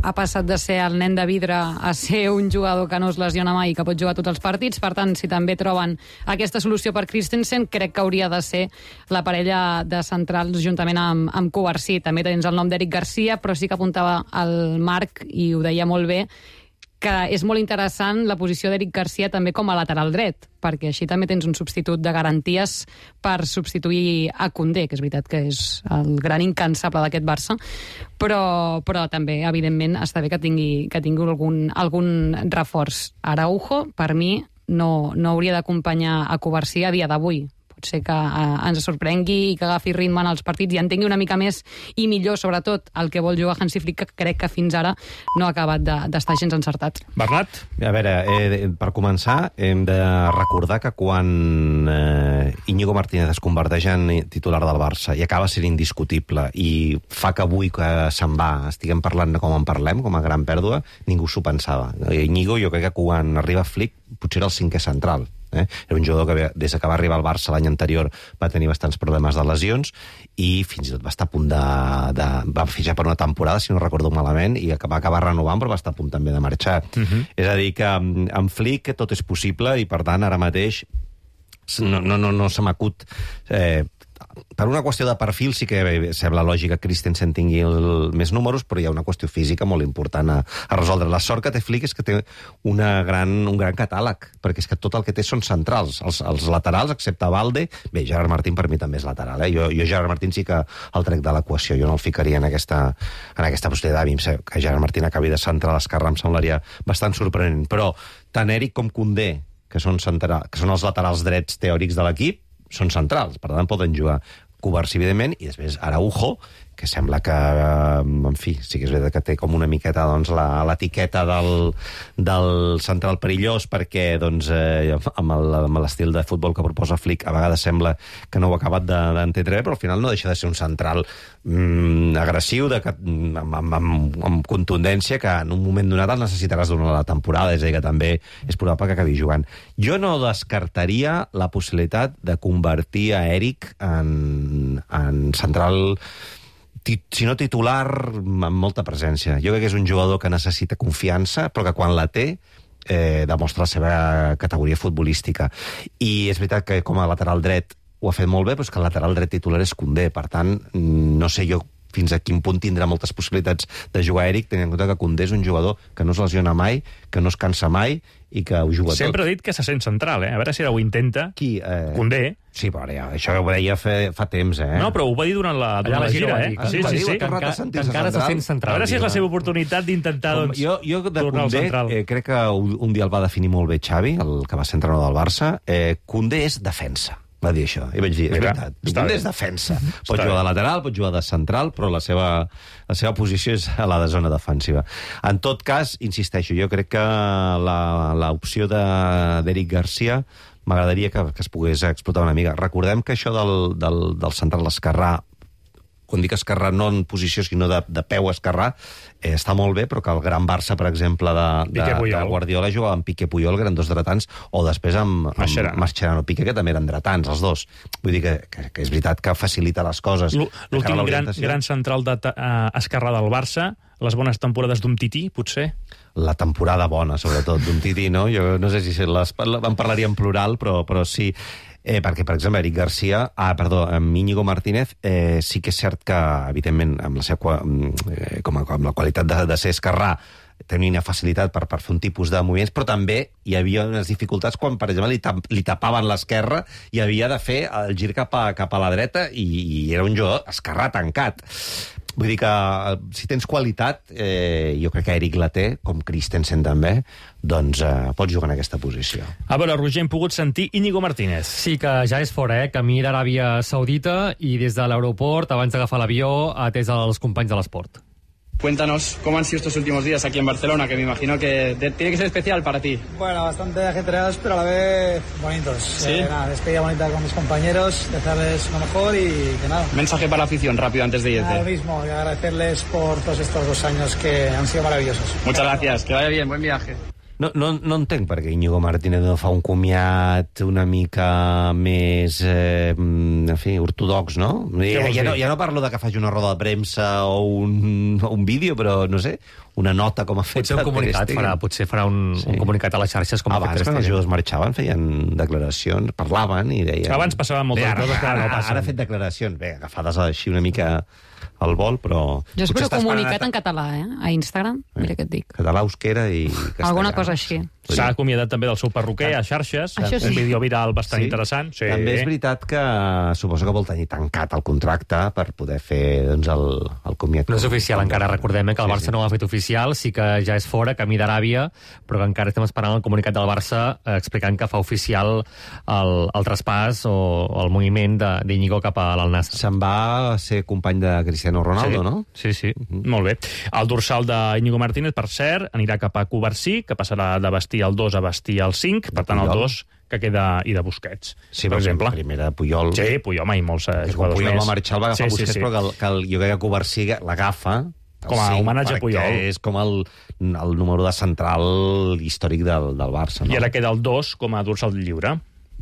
ha passat de ser el nen de vidre a ser un jugador que no es lesiona mai i que pot jugar tots els partits. Per tant, si també troben aquesta solució per Christensen, crec que hauria de ser la parella de centrals juntament amb, amb Covarsí. També tens el nom d'Eric Garcia, però sí que apuntava el Marc, i ho deia molt bé, que és molt interessant la posició d'Eric Garcia també com a lateral dret, perquè així també tens un substitut de garanties per substituir a Koundé, que és veritat que és el gran incansable d'aquest Barça, però, però també, evidentment, està bé que tingui, que tingui algun, algun reforç. Araujo, per mi, no, no hauria d'acompanyar a Covarsí a dia d'avui. Potser que eh, ens sorprengui i que agafi ritme en els partits i entengui una mica més i millor, sobretot, el que vol jugar Hansi Flick, que crec que fins ara no ha acabat d'estar de, gens encertat. Bernat? A veure, eh, per començar, hem de recordar que quan eh, Íñigo Martínez es converteix en titular del Barça i acaba sent indiscutible i fa que avui que se'n va estiguem parlant com en parlem, com a gran pèrdua, ningú s'ho pensava. Íñigo, jo crec que quan arriba Flick, potser era el cinquè central. Eh? Era un jugador que des que va arribar al Barça l'any anterior va tenir bastants problemes de lesions i fins i tot va estar a punt de... de va fitxar per una temporada, si no recordo malament, i va acabar renovant, però va estar a punt també de marxar. Uh-huh. És a dir, que amb Flick tot és possible i, per tant, ara mateix no, no, no, no se m'acut... Eh, per una qüestió de perfil sí que sembla lògic que Christensen tingui el, més números, però hi ha una qüestió física molt important a, a resoldre. La sort que té Flick és que té una gran, un gran catàleg, perquè és que tot el que té són centrals. Els, els laterals, excepte Valde... Bé, Gerard Martín per mi també és lateral. Eh? Jo, jo Gerard Martín sí que el trec de l'equació. Jo no el ficaria en aquesta, en aquesta possibilitat. A mi que Gerard Martín acabi de centrar l'esquerra em semblaria bastant sorprenent. Però tant Eric com Koundé, que són, central, que són els laterals drets teòrics de l'equip, són centrals, per tant poden jugar Covarsí, evidentment, i després Araujo, que sembla que, en fi, sí que és veritat que té com una miqueta doncs, l'etiqueta del, del central perillós, perquè doncs, eh, amb l'estil de futbol que proposa Flick a vegades sembla que no ho ha acabat d'entendre bé, però al final no deixa de ser un central mm, agressiu, de, amb, amb, amb, amb contundència, que en un moment donat el necessitaràs durant la temporada, és a dir, que també és probable que acabi jugant. Jo no descartaria la possibilitat de convertir a Eric en, en central, si no titular, amb molta presència. Jo crec que és un jugador que necessita confiança, però que quan la té eh, demostra la seva categoria futbolística. I és veritat que com a lateral dret ho ha fet molt bé, però és que el lateral dret titular és Koundé. Per tant, no sé jo fins a quin punt tindrà moltes possibilitats de jugar Eric, tenint en compte que Koundé és un jugador que no es lesiona mai, que no es cansa mai i que ho juga Sempre tot. Sempre ha dit que se sent central, eh? A veure si ara ho intenta. Qui? Eh... Koundé. Sí, però ja, això ho deia fa, fa temps, eh? No, però ho va dir durant la, durant la gira, eh? Ah, sí, sí, sí. Que, enca que encara se sent central. A veure si és la seva oportunitat d'intentar doncs, jo, jo de tornar al Koundé, central. Eh, crec que un dia el va definir molt bé Xavi, el que va ser entrenador del Barça. Eh, Koundé és defensa. Va dir això. I vaig dir, és Mira, veritat. Koundé és defensa. Pot Està jugar bé. de lateral, pot jugar de central, però la seva, la seva posició és a la de zona defensiva. En tot cas, insisteixo, jo crec que l'opció d'Eric Garcia m'agradaria que, que es pogués explotar una mica. Recordem que això del, del, del central esquerrà, quan dic esquerrà no en posició sinó de, de peu esquerrà, eh, està molt bé, però que el gran Barça, per exemple, de, de, de Guardiola jugava amb Piqué Puyol, que eren dos dretans, o després amb, amb Mascherano Piqué, que també eren dretans, els dos. Vull dir que, que, que és veritat que facilita les coses. L'últim gran, gran central de, uh, esquerrà del Barça, les bones temporades d'Umtiti, potser? La temporada bona, sobretot, d'Umtiti, no? Jo no sé si les, en parlaria en plural, però, però sí. Eh, perquè, per exemple, Eric Garcia, ah, perdó, amb Íñigo Martínez, eh, sí que és cert que, evidentment, amb la, seva, eh, com a, amb la qualitat de, de ser esquerrà, tenia una facilitat per, per fer un tipus de moviments, però també hi havia unes dificultats quan, per exemple, li, tap, li tapaven l'esquerra i havia de fer el gir cap a, cap a la dreta i, i era un jugador esquerrà tancat. Vull dir que si tens qualitat, eh, jo crec que Eric la té, com Christensen també, doncs eh, pots jugar en aquesta posició. A veure, Roger, hem pogut sentir Íñigo Martínez. Sí, que ja és fora, eh? Camí d'Aràbia Saudita i des de l'aeroport, abans d'agafar l'avió, ha atès els companys de l'esport. Cuéntanos cómo han sido estos últimos días aquí en Barcelona, que me imagino que de- tiene que ser especial para ti. Bueno, bastante ajetreados, pero a la vez bonitos. ¿Sí? Eh, nada, despedida bonita con mis compañeros, desearles lo mejor y que nada. Mensaje para la afición rápido antes de Nada, lo irte. mismo, y agradecerles por todos estos dos años que han sido maravillosos. Muchas gracias, que vaya bien, buen viaje. No, no, no entenc per què Íñigo Martínez no fa un comiat una mica més, eh, en fi, ortodox, no? Ja, vols ja, no? dir? ja no parlo de que faci una roda de premsa o un, o un vídeo, però, no sé, una nota com ha fet... Potser un Ter comunicat Stegen. farà, potser farà un, Sí. un comunicat a les xarxes com ha fet Abans, Ter quan els Stegen. jugadors marxaven, feien declaracions, parlaven i deien... Abans passaven moltes Bé, ara, coses que ara no ara, passen. Ara ha fet declaracions, bé, agafades així una mica al vol, però... Jo espero potser està esperant comunicat a- en català, eh? A Instagram, mira què et dic. Català, euskera i castellà. Alguna cosa així. S'ha acomiadat també del seu perruquer a xarxes. Això sí. Un vídeo viral bastant interessant. Sí. També és veritat que suposo que vol tenir tancat el contracte per poder fer doncs, el, el comiat. No és oficial encara, recordem eh, que el Sí, Barça sí. no ho ha fet oficial, sí que ja és fora, camí d'Aràbia, però que encara estem esperant el comunicat del Barça eh, explicant que fa oficial el, el traspàs o el moviment de- d'Iñigo cap a l'Al-Nassr. Se'n va ser company de Cristiano Ronaldo, sí. no? Sí, sí. Molt bé. El dorsal d'Iñigo Martínez, per cert, anirà cap a Covarsí, que passarà de vestir el dos a vestir el cinc, per tant el Puyol. dos que queda i de Busquets, Sí, per exemple. Primera Puyol. Sí, Puyol, mai molts eh, Que quan jugadors Puyol més. va marxar el va agafar sí, Busquets, sí, sí. però que, el, que el, jo crec que Covarsí l'agafa el Com a cinc, homenatge a perquè Puyol. és com el, el número de central històric del, del Barça. No? I ara queda el dos com a dorsal lliure.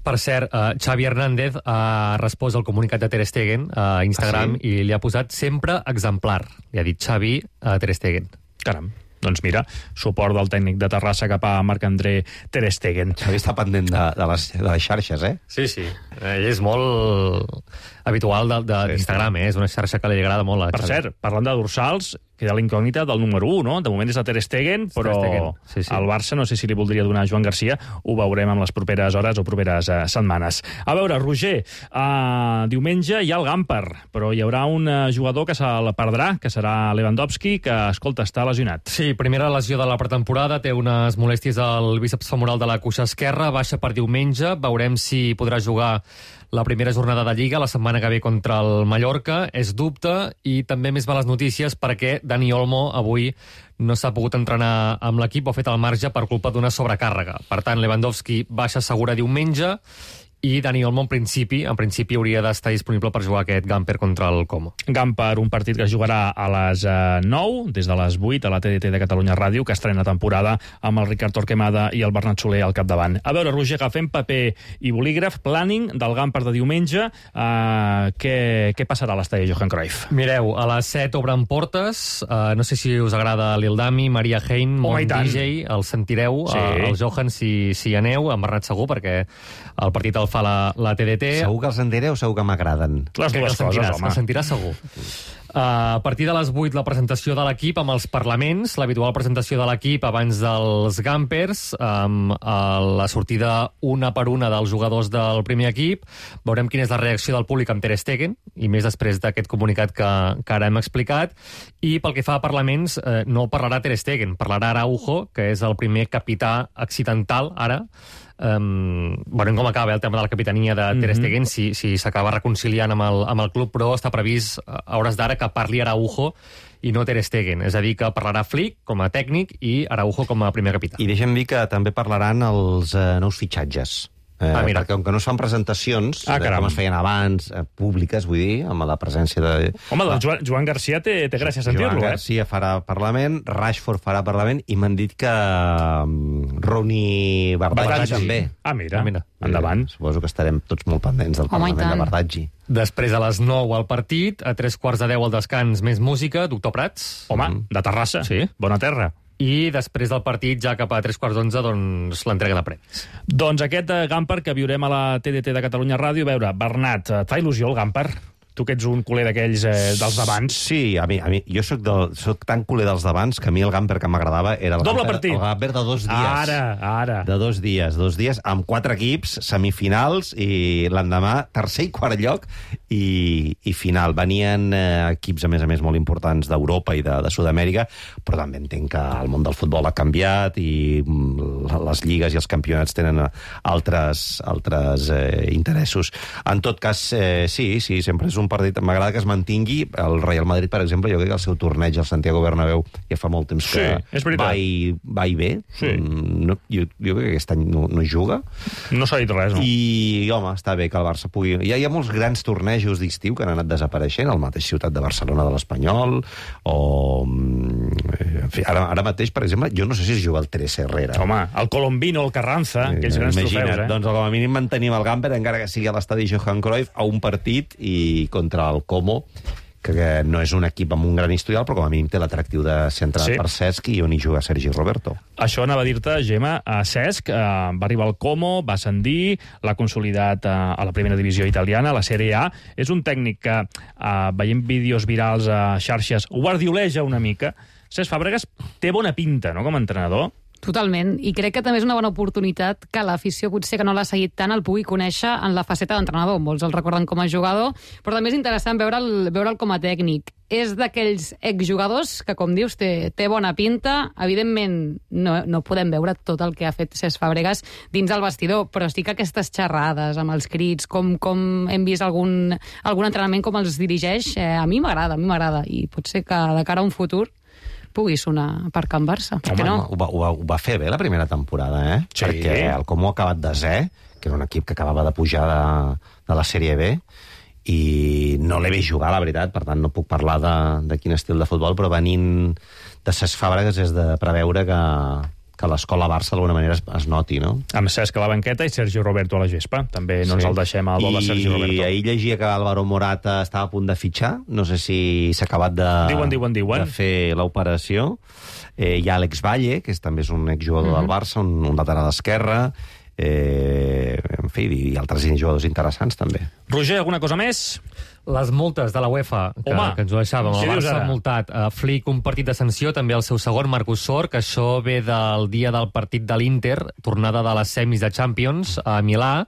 Per cert, uh, Xavi Hernández ha respost al comunicat de Ter Stegen a Instagram Ah, sí? i li ha posat sempre exemplar. Li ha dit Xavi a Ter Stegen. Caram. Doncs mira, suport del tècnic de Terrassa cap a Marc-André Ter Stegen. Xavi està pendent de, de, les, de les xarxes, eh? Sí, sí. Ell és molt habitual de- de- d'Instagram, eh? És una xarxa que li agrada molt a Per Xavi. cert, parlant de dorsals, queda l'incògnita del número un, no? De moment és de Ter Stegen, però Ter Stegen, sí, sí. el Barça no sé si li voldria donar a Joan Garcia, ho veurem en les properes hores o properes uh, setmanes. A veure, Roger, uh, diumenge hi ha el Gamper, però hi haurà un uh, jugador que se'l perdrà, que serà Lewandowski, que, escolta, està lesionat. Sí, primera lesió de la pretemporada, té unes molèsties al bíceps femoral de la cuixa esquerra, baixa per diumenge, veurem si podrà jugar la primera jornada de Lliga, la setmana que ve contra el Mallorca, és dubte, i també més males notícies perquè Dani Olmo avui no s'ha pogut entrenar amb l'equip, ho ha fet al marge per culpa d'una sobrecàrrega. Per tant, Lewandowski baixa segura diumenge, i Dani Olmo, en principi, en principi hauria d'estar disponible per jugar aquest Gamper contra el Como. Gamper, un partit que es jugarà a les uh, nou, des de les vuit, a la T D T de Catalunya Ràdio, que estrena temporada amb el Ricard Torquemada i el Bernat Soler al capdavant. A veure, Roger, agafem paper i bolígraf, planning del Gamper de diumenge. Uh, què, què passarà a l'estadi Johan Cruyff? Mireu, a les set obren portes, uh, no sé si us agrada Lil Dami, Maria Hein, Home, Mon i tant. D J, el sentireu, Sí. uh, el Johan, si, si hi aneu, amb Bernat segur, perquè el partit el fa la, la T D T. Segur que els enderé o segur que m'agraden? Les Crec que dues el sentiràs, coses, home. el sentiràs segur. Uh, a partir de les vuit, la presentació de l'equip amb els parlaments, l'habitual presentació de l'equip abans dels Gampers, amb uh, la sortida una per una dels jugadors del primer equip. Veurem quina és la reacció del públic amb Ter Stegen, i més després d'aquest comunicat que, que ara hem explicat. I pel que fa a parlaments, eh, no parlarà Ter Stegen, parlarà Araujo, que és el primer capità accidental, ara. Um, veurem com acaba eh, el tema de la capitania de Ter Stegen, si, si s'acaba reconciliant amb el, amb el club, però està previst a hores d'ara que parli Araujo i no Ter Stegen. És a dir, que parlarà Flick com a tècnic i Araujo com a primer capità. I deixa'm dir que també parlaran els eh, nous fitxatges. Eh, Ah, mira. Perquè com que no es fan presentacions, Ah, eh, caram. com es feien abans, eh, públiques, vull dir, amb la presència de... Home, doncs Joan, Joan Garcia té, té gràcia sentir-lo, Joan eh? Garcia farà Parlament, Rashford farà Parlament, i m'han dit que um, Rooney Bardaggi Bardaggi. també. Ah, mira, Ah, mira. endavant. Eh, suposo que estarem tots molt pendents del Home, i Parlament de tant. Bardaggi. Després, a les nou al partit, a tres quarts de deu al descans, més música, Doctor Prats. Home, de Terrassa. Sí. Bona terra. I després del partit, ja cap a tres quarts d'onze, doncs, l'entrega de premis. Doncs aquest eh, Gamper que viurem a la T D T de Catalunya Ràdio. A veure, Bernat, et fa il·lusió el Gamper? Tu que ets un culer d'aquells eh, dels d'abans. Sí, a mi, a mi jo soc, del, soc tan culer dels d'abans que a mi el Gamper que m'agradava era el Doble Gamper, partit. el Gamper de dos dies. Ara, ara. De dos dies, dos dies, amb quatre equips, semifinals, i l'endemà tercer i quart lloc, i, i final. Venien eh, equips, a més a més, molt importants d'Europa i de, de Sud-amèrica, però també entenc que el món del futbol ha canviat i mm, les lligues i els campionats tenen altres, altres eh, interessos. En tot cas, eh, sí, sí, sempre és un partit... M'agrada que es mantingui. El Real Madrid, per exemple, jo crec que el seu torneig al Santiago Bernabéu ja fa molt temps que sí, va, i, va i bé. Sí. No, jo, jo crec que aquest any no, no juga. No s'ha dit res, no? I, home, està bé que el Barça pugui... Hi ha, hi ha molts grans tornejos d'estiu que han anat desapareixent, al mateix ciutat de Barcelona de l'Espanyol, o... En fi, ara, ara mateix, per exemple, jo no sé si es juga el Teresa Herrera. Home, el Colombino, el Carranza, eh, aquells grans imagina't, trofeus, eh? Doncs com a mínim mantenim el Gamper, encara que sigui a l'estadi Johan Cruyff, a un partit i contra el Como, que, que no és un equip amb un gran historial, però com a mínim té l'atractiu de ser entrenat Sí. per Cesc i on hi juga Sergi Roberto. Això anava a dir-te, Gemma, a Cesc, eh, va arribar al Como, va ascendir, l'ha consolidat eh, a la primera divisió italiana, a la Serie A. És un tècnic que, eh, veient vídeos virals a xarxes, guardioleja una mica. Cesc Fàbregas té bona pinta, no?, com a entrenador. Totalment, i crec que també és una bona oportunitat que l'afició, potser que no l'ha seguit tant, el pugui conèixer en la faceta d'entrenador. Molts el recorden com a jugador, però també és interessant veure'l veure'l com a tècnic. És d'aquells exjugadors que, com dius, té, té bona pinta. Evidentment, no, no podem veure tot el que ha fet Cesc Fàbregas dins el vestidor, però sí que aquestes xerrades amb els crits, com, com hem vist algun, algun entrenament, com els dirigeix, eh, a mi m'agrada, a mi m'agrada, i pot ser que de cara a un futur pugui sonar per Can Barça. Per què no? Ho va, ho, va, ho va fer bé la primera temporada, eh? Sí. Perquè el Como ha acabat desè, que era un equip que acabava de pujar de, de la Sèrie B, i no l'he vist jugar, la veritat, per tant no puc parlar de, de quin estil de futbol, però venint de Cesc Fàbregas és de preveure que, que l'escola Barça d'alguna manera es, es noti, no? Amb Cesc a la banqueta i Sergio Roberto a la gespa. També no ens el deixem al vol de Sergio Roberto. I ahir llegia que Álvaro Morata estava a punt de fitxar. No sé si s'ha acabat de, diuen, diuen, diuen. de fer l'operació. Eh, hi ha Alex Valle, que és, també és un exjugador mm -hmm. del Barça, un, un lateral esquerre. Eh, en fi, i altres jugadors interessants, també. Roger, alguna cosa més? Les multes de la UEFA, que, Home, que ens ho deixàvem. què El dius Barça ara? ha multat a Flick un partit de sanció, també el seu segon, Marcus Sor, que això ve del dia del partit de l'Inter, tornada de les semis de Champions a Milà.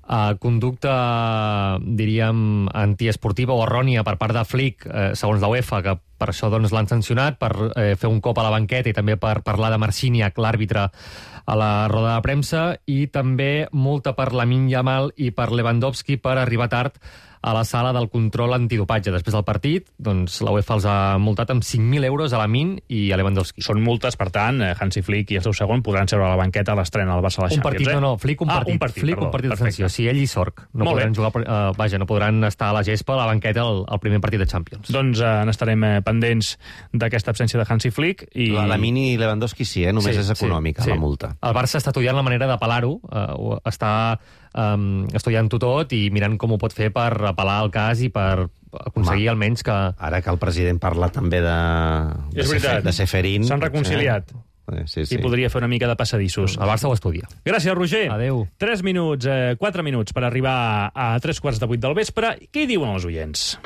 Uh, conducta, diríem, antiesportiva o errònia per part de Flick, eh, segons la UEFA, que per això doncs, l'han sancionat, per eh, fer un cop a la banqueta i també per parlar de Marciniak, l'àrbitre, a la roda de premsa, i també multa per Lamine Yamal i per Lewandowski per arribar tard a la sala del control antidopatge. Després del partit, doncs, la UEFA els ha multat amb cinc mil euros a Lamine i a Lewandowski. Són multes, per tant, Hansi Flick i el seu segon podran seure a la banqueta a l'estrena del Barça a la Un Champions. partit, eh? no, no, Flick un ah, partit. un partit, Flick perdó, un partit de perfecte. sanció. Sí, ell i Sorc. No Molt podran bé. jugar, uh, vaja, no podran estar a la gespa, a la banqueta, al, al primer partit de Champions. Doncs eh, n'estarem eh, pendents d'aquesta absència de Hansi Flick. I... La, la Mini i Lewandowski sí, eh? Només Sí, és econòmica, sí, sí. la multa. El Barça està estudiant la manera d'apel·lar-ho, uh, està um, estudiant-ho tot i mirant com ho pot fer per apel·lar el cas i per aconseguir Home, almenys que... Ara que el president parla també de, de, És veritat. de Seferin... S'han reconciliat. Eh? Sí, sí. I podria fer una mica de passadissos. El Barça ho estudia. Gràcies, Roger. Adéu. Tres minuts, eh, quatre minuts per arribar a tres quarts de vuit del vespre. Què hi diuen els oients?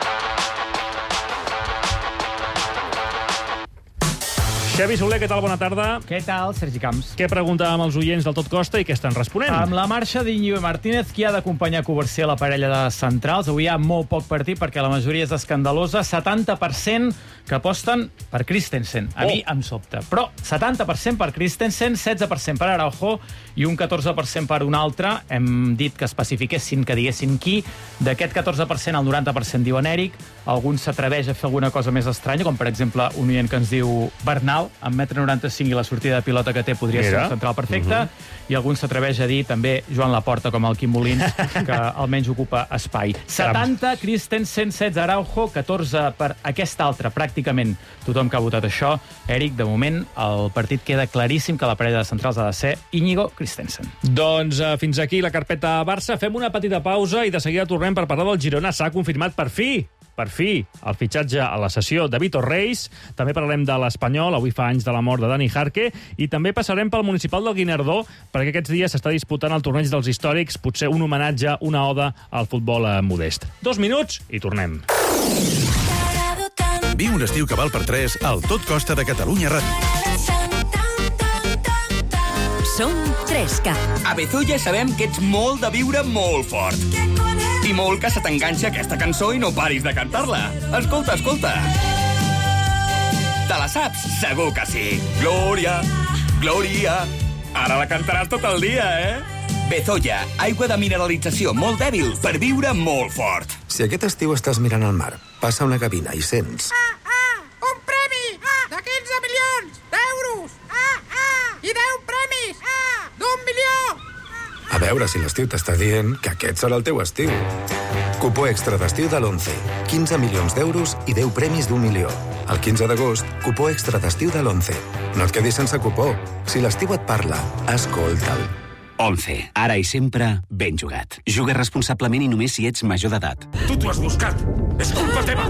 Xavi Soler, què tal? Bona tarda. Què tal, Sergi Camps? Què preguntàvem als oients del Tot Costa i què estan responent? Amb la marxa d'Iñigo Martínez, qui ha d'acompanyar Covarsí a la parella de centrals? Avui hi ha molt poc partit perquè la majoria és escandalosa. setanta per cent que aposten per Christensen. A Oh. mi em sobta. Però setanta per cent per Christensen, setze per cent per Araujo i un catorze per cent per un altre. Hem dit que especifiquessin, que diguessin qui. D'aquest catorze per cent, el noranta per cent diuen Eric. Algun s'atreveix a fer alguna cosa més estranya, com per exemple un oient que ens diu Bernal, amb un metre noranta-cinc i la sortida de pilota que té podria Mira. ser un central perfecte. Uh -huh. I algun s'atreveix a dir també Joan Laporta, com el Quim Molins, que almenys ocupa espai. setanta, Christensen, setze, Araujo, catorze per aquest altre, pràcticament tothom que ha votat això. Eric, de moment, el partit queda claríssim que la parella de centrals ha de ser Íñigo Christensen. Doncs uh, fins aquí la carpeta Barça. Fem una petita pausa i de seguida tornem per parlar del Girona. S'ha confirmat per fi per fi, el fitxatge a la sessió de Vitor Reis. També parlarem de l'Espanyol, avui fa anys de la mort de Dani Jarque, i també passarem pel municipal del Guinardó, perquè aquests dies s'està disputant el torneig dels històrics, potser un homenatge, una oda al futbol eh, modest. Dos minuts i tornem. Viu un estiu que val per tres al Tot Costa de Catalunya Ràdio. Som tres K. A Bezoya sabem que ets molt de viure molt fort. I molt que se t'enganxa aquesta cançó i no paris de cantar-la. Escolta, escolta. Te la saps? Segur que sí. Glòria, Glòria. Ara la cantaràs tot el dia, eh? Bezoya, aigua de mineralització molt dèbil per viure molt fort. Si aquest estiu estàs mirant al mar, passa una gavina i sents... Ah, ah, un premi! Ah, de quinze milions d'euros! Ah, ah, i deu premis! Ah, d'un milió! A veure si l'estiu t'està dient que aquest serà el teu estiu. Cupó extra d'estiu de l'Once. quinze milions d'euros i deu premis d'un milió. El quinze d'agost, cupó extra d'estiu de l'Once. No et quedis sense cupó. Si l'estiu et parla, escolta'l. Once. Ara i sempre, ben jugat. Juga responsablement i només si ets major d'edat. Tu t'ho has buscat! És culpa teva!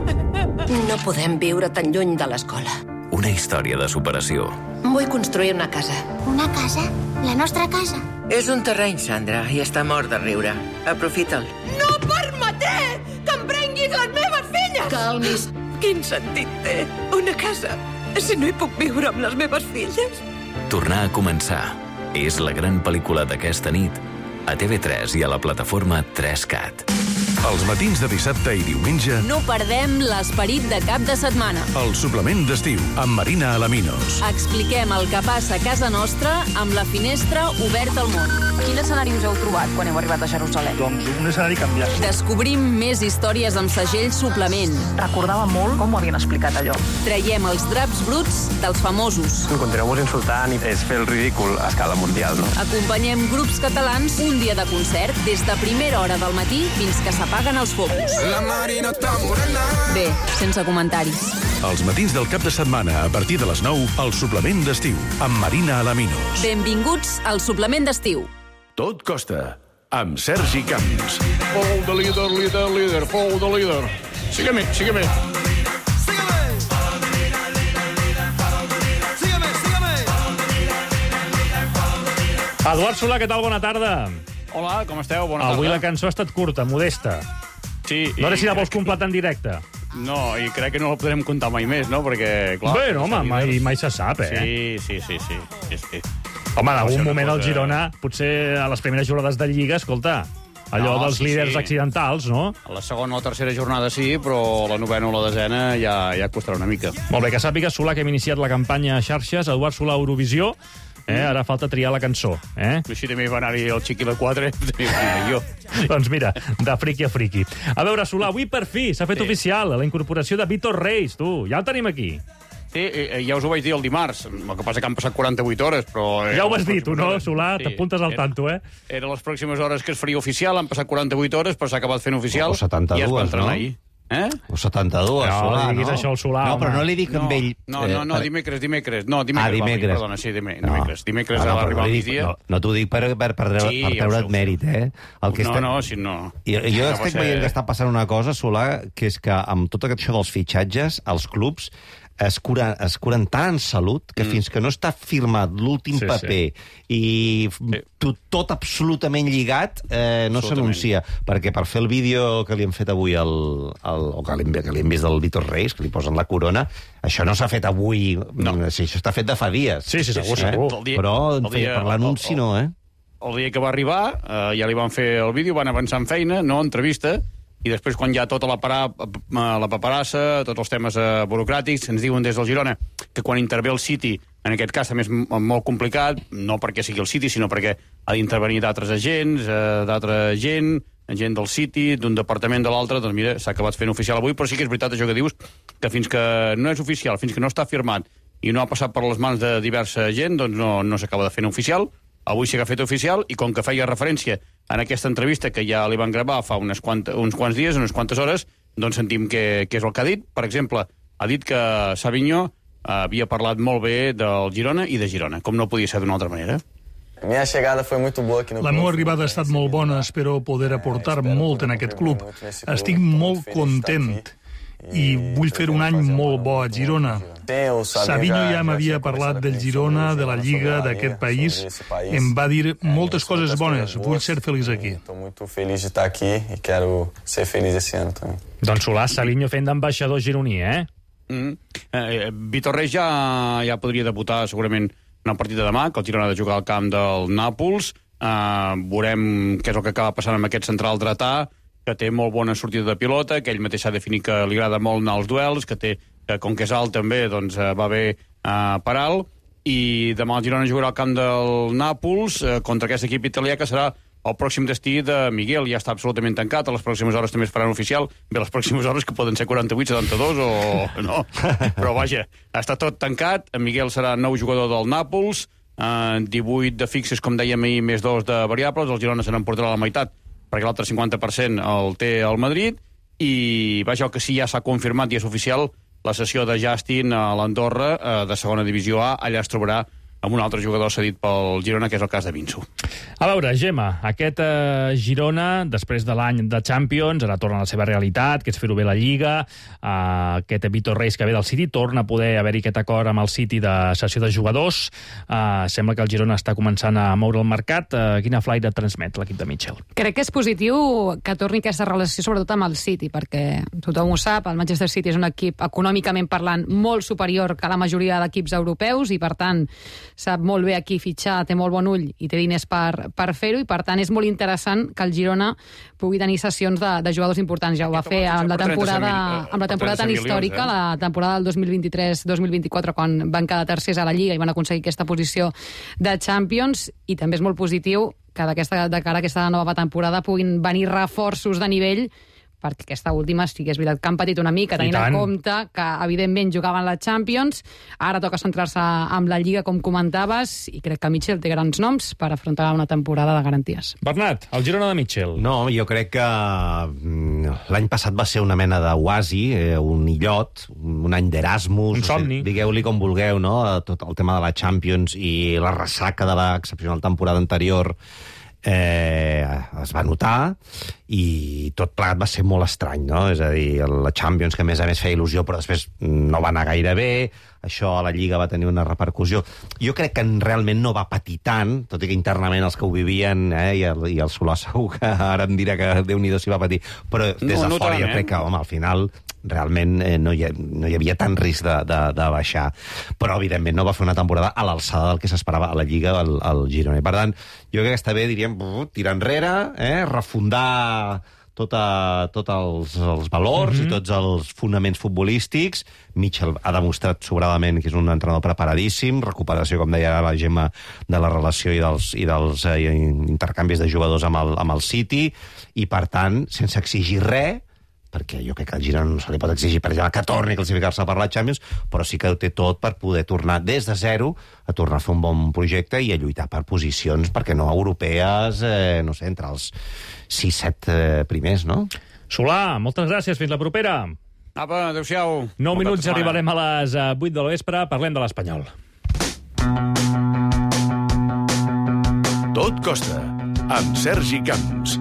No podem viure tan lluny de l'escola. Una història de superació. Vull construir una casa. Una casa? La nostra casa? És un terreny, Sandra, i està mort de riure. Aprofita'l. No permetré que em prenguis les meves filles! Calmis. Quin sentit té una casa si no hi puc viure amb les meves filles? Tornar a començar. És la gran pel·lícula d'aquesta nit a T V tres i a la plataforma tres cat. Els matins de dissabte i diumenge... No perdem l'esperit de cap de setmana. El suplement d'estiu, amb Marina Alaminos. Expliquem el que passa a casa nostra amb la finestra oberta al món. Quin escenari us heu trobat quan heu arribat a Jerusalem? Doncs un escenari canviat. Descobrim més històries amb segell suplement. Recordava molt com ho havien explicat allò. Traiem els draps bruts dels famosos. Continueu-vos insultant i és fer el ridícul a escala mundial, no? Acompanyem grups catalans un dia de concert des de primera hora del matí fins que s'apaguen els focus. Bé, sense comentaris. Els matins del cap de setmana, a partir de les nou, el suplement d'estiu, amb Marina Alaminos. Benvinguts al suplement d'estiu. Tot costa, amb Sergi Camps. Fou de líder, líder, líder, fou de líder. Sígueme, sígueme. Eduard Solà, què tal? Bona tarda. Hola, com esteu? Bona tarda. Avui la cançó ha estat curta, modesta. Sí. No sé si la vols completar en directe. No, i crec que no la podrem comptar mai més, no? Perquè, clar... Bé, no, home, mai, mai se sap, eh? Sí, sí, sí, sí. sí, sí. Home, en algun moment cosa... el Girona, potser a les primeres jornades de Lliga, escolta, allò no, dels sí, líders sí. accidentals, no? A la segona o la tercera jornada sí, però la novena o la desena ja, ja costarà una mica. Molt bé, que sàpigues, Solà, que hem iniciat la campanya a xarxes, Eduard Solà Eurovisió. Eh? Ara falta triar la cançó. Eh? Així també va anar-hi el Chiqui la quatre, jo. Doncs mira, de friqui a friqui. A veure, Solà, avui per fi s'ha fet Sí. oficial la incorporació de Vítor Reis, tu. Ja el tenim aquí. Sí, eh, ja us ho vaig dir el dimarts. El que passa que han passat quaranta-vuit hores, però... Eh, Ja ho has dit, tu, no, hores. Solà? Sí. T'apuntes al Era- tanto, eh? Era les pròximes hores que es faria oficial, han passat quaranta-vuit hores, però s'ha acabat fent oficial. O setanta-dues, i es va entrenar no? ahir. Eh? O setanta-dues, No, Solà, li diguis no? això al Solà, no, però home. no li dic amb No, ell... no, no, no, per- dimecres, dimecres. No, dimecres, Ah, dimecres. va venir, perdona, sí, dimecres. Dimecres, dimecres No, no, va però arribar no al li dic- migdia. No, no t'ho dic per, per, per, treure, Sí, per ja ho sé, treure't ho sé. mèrit, eh? El que No, està... no, si no... Jo, jo Ja va estic ser- veient que està passant una cosa, Solà, que és que amb tot això dels fitxatges, els clubs es curen, es curen tant en salut que mm. fins que no està firmat l'últim Sí, sí, paper sí. i sí. tot, tot absolutament lligat, eh, no s'anuncia. Perquè per fer el vídeo que li hem fet avui, el, el, o que li, hem, que li hem vist del Vítor Reis, que li posen la corona, això no s'ha fet avui, no. Sí, això està fet de fa dies. Sí, sí, segur, eh? segur. El dia- Però el dia- per l'anunci no, eh? El dia que va arribar, eh, ja li van fer el vídeo, van avançar en feina, no entrevista, i després, quan ja tota la, parà, la paperassa, tots els temes eh, burocràtics, ens diuen des del Girona que quan intervé el City, en aquest cas també és m- molt complicat, no perquè sigui el City, sinó perquè ha d'intervenir d'altres agents, eh, d'altra gent, gent del City, d'un departament de l'altre, doncs mira, s'ha acabat fent oficial avui, però sí que és veritat això que dius, que fins que no és oficial, fins que no està firmat i no ha passat per les mans de diversa gent, doncs no, no s'acaba de fer oficial. Avui sí que ha fet oficial, i com que feia referència en aquesta entrevista que ja li van gravar fa unes quanta, uns quants dies, unes quantes hores, doncs sentim que, que és el que ha dit. Per exemple, ha dit que Savinho havia parlat molt bé del Girona i de Girona, com no podia ser d'una altra manera. Minha chegada foi muito boa aqui no La meva arribada ha estat molt bona, espero poder aportar molt en aquest club. Estic molt content i vull fer un any molt bo a Girona. Savinho ja m'havia parlat del Girona, de la Lliga, d'aquest país. Em va dir moltes coses bones. Vull ser feliç aquí. Estou muito feliz de estar aqui e quero ser feliz esse ano também. Doncs Solà, Savinho fent d'ambaixador gironí, eh? Mm. Eh, Vítor Reis ja, ja podria debutar segurament en el partit de demà, que el Girona ha de jugar al camp del Nàpols. Eh, veurem què és el que acaba passant amb aquest central dretà, que té molt bona sortida de pilota, que ell mateix s'ha definit que li agrada molt anar als duels, que té, que com que és alt també, doncs eh, va bé eh, per alt, i demà el Girona jugarà al camp del Nàpols eh, contra aquest equip italià que serà el pròxim destí de Miguel ja està absolutament tancat, a les pròximes hores també es faran oficial, bé, les pròximes hores que poden ser quaranta-vuit, setanta-dos o no, però vaja, està tot tancat, en Miguel serà nou jugador del Nàpols, eh, divuit de fixes, com dèiem ahir, més dos de variables, el Girona se n'emportarà la meitat, perquè l'altre cinquanta per cent el té el Madrid, i vaja, el que sí ja s'ha confirmat i és oficial, la cessió de Justin a l'Andorra, eh, de segona divisió A, allà es trobarà amb un altre jugador cedit pel Girona, que és el cas de Vinsu. A veure, Gemma, aquest eh, Girona, després de l'any de Champions, ara torna a la seva realitat, que és fer-ho bé la Lliga, eh, aquest Vitor Reis que ve del City, torna a poder haver-hi aquest acord amb el City de cessió de jugadors, eh, sembla que el Girona està començant a moure el mercat. Eh, quina flaire transmet l'equip de Mitchell? Crec que és positiu que torni aquesta relació, sobretot amb el City, perquè tothom ho sap, el Manchester City és un equip econòmicament parlant molt superior que la majoria d'equips europeus i, per tant, sap molt bé a qui fitxar, té molt bon ull i té diners per, per fer-ho, i per tant és molt interessant que el Girona pugui tenir sessions de, de jugadors importants. Ja ho va fer amb la temporada, amb la temporada tan històrica, la temporada del dos mil vint-i-tres dos mil vint-i-quatre, quan van quedar tercers a la Lliga i van aconseguir aquesta posició de Champions, i també és molt positiu que d'aquesta, de cara a aquesta nova temporada puguin venir reforços de nivell, perquè aquesta última sí que és veritat que han patit una mica, tenint en compte que, evidentment, jugaven la Champions, ara toca centrar-se amb la Lliga, com comentaves, i crec que Mitchell té grans noms per afrontar una temporada de garanties. Bernat, el Girona de Mitchell. No, jo crec que l'any passat va ser una mena d'oasi, eh, un illot, un any d'Erasmus, un somni. Digueu-li com vulgueu, no? Tot el tema de la Champions i la ressaca de l'excepcional temporada anterior eh, es va notar, i tot plegat va ser molt estrany, no? És a dir, la Champions, que a més a més feia il·lusió, però després no va anar gaire bé, això a la Lliga va tenir una repercussió. Jo crec que realment no va patir tant, tot i que internament els que ho vivien, eh, i, el, i el Solà segur que ara em dirà que Déu-n'hi-do s'hi va patir, però des de no, fora no jo crec que, home, al final realment eh, no, hi ha, no hi havia tant risc de, de, de baixar, però evidentment no va fer una temporada a l'alçada del que s'esperava a la Lliga al, al Girona. I per tant, jo crec que està bé, diríem, tirar enrere, eh, refundar tot, a, tot els, els valors mm-hmm. i tots els fonaments futbolístics. Mitchell ha demostrat sobradament que és un entrenador preparadíssim, recuperació, com deia la Gemma, de la relació i dels, i dels eh, intercanvis de jugadors amb el, amb el City, i per tant, sense exigir res, perquè jo crec que al Girona no se li pot exigir, per exemple, que torni a classificar-se per la Champions, però sí que ho té tot per poder tornar des de zero a tornar a fer un bon projecte i a lluitar per posicions, perquè no europees, eh, no sé, entre els sis set eh, primers, no? Solà, moltes gràcies, fins la propera. Apa, adéu-siau. Nou minuts, arribarem a les vuit de la vespre, parlem de l'Espanyol. Tot costa, amb Sergi Camps.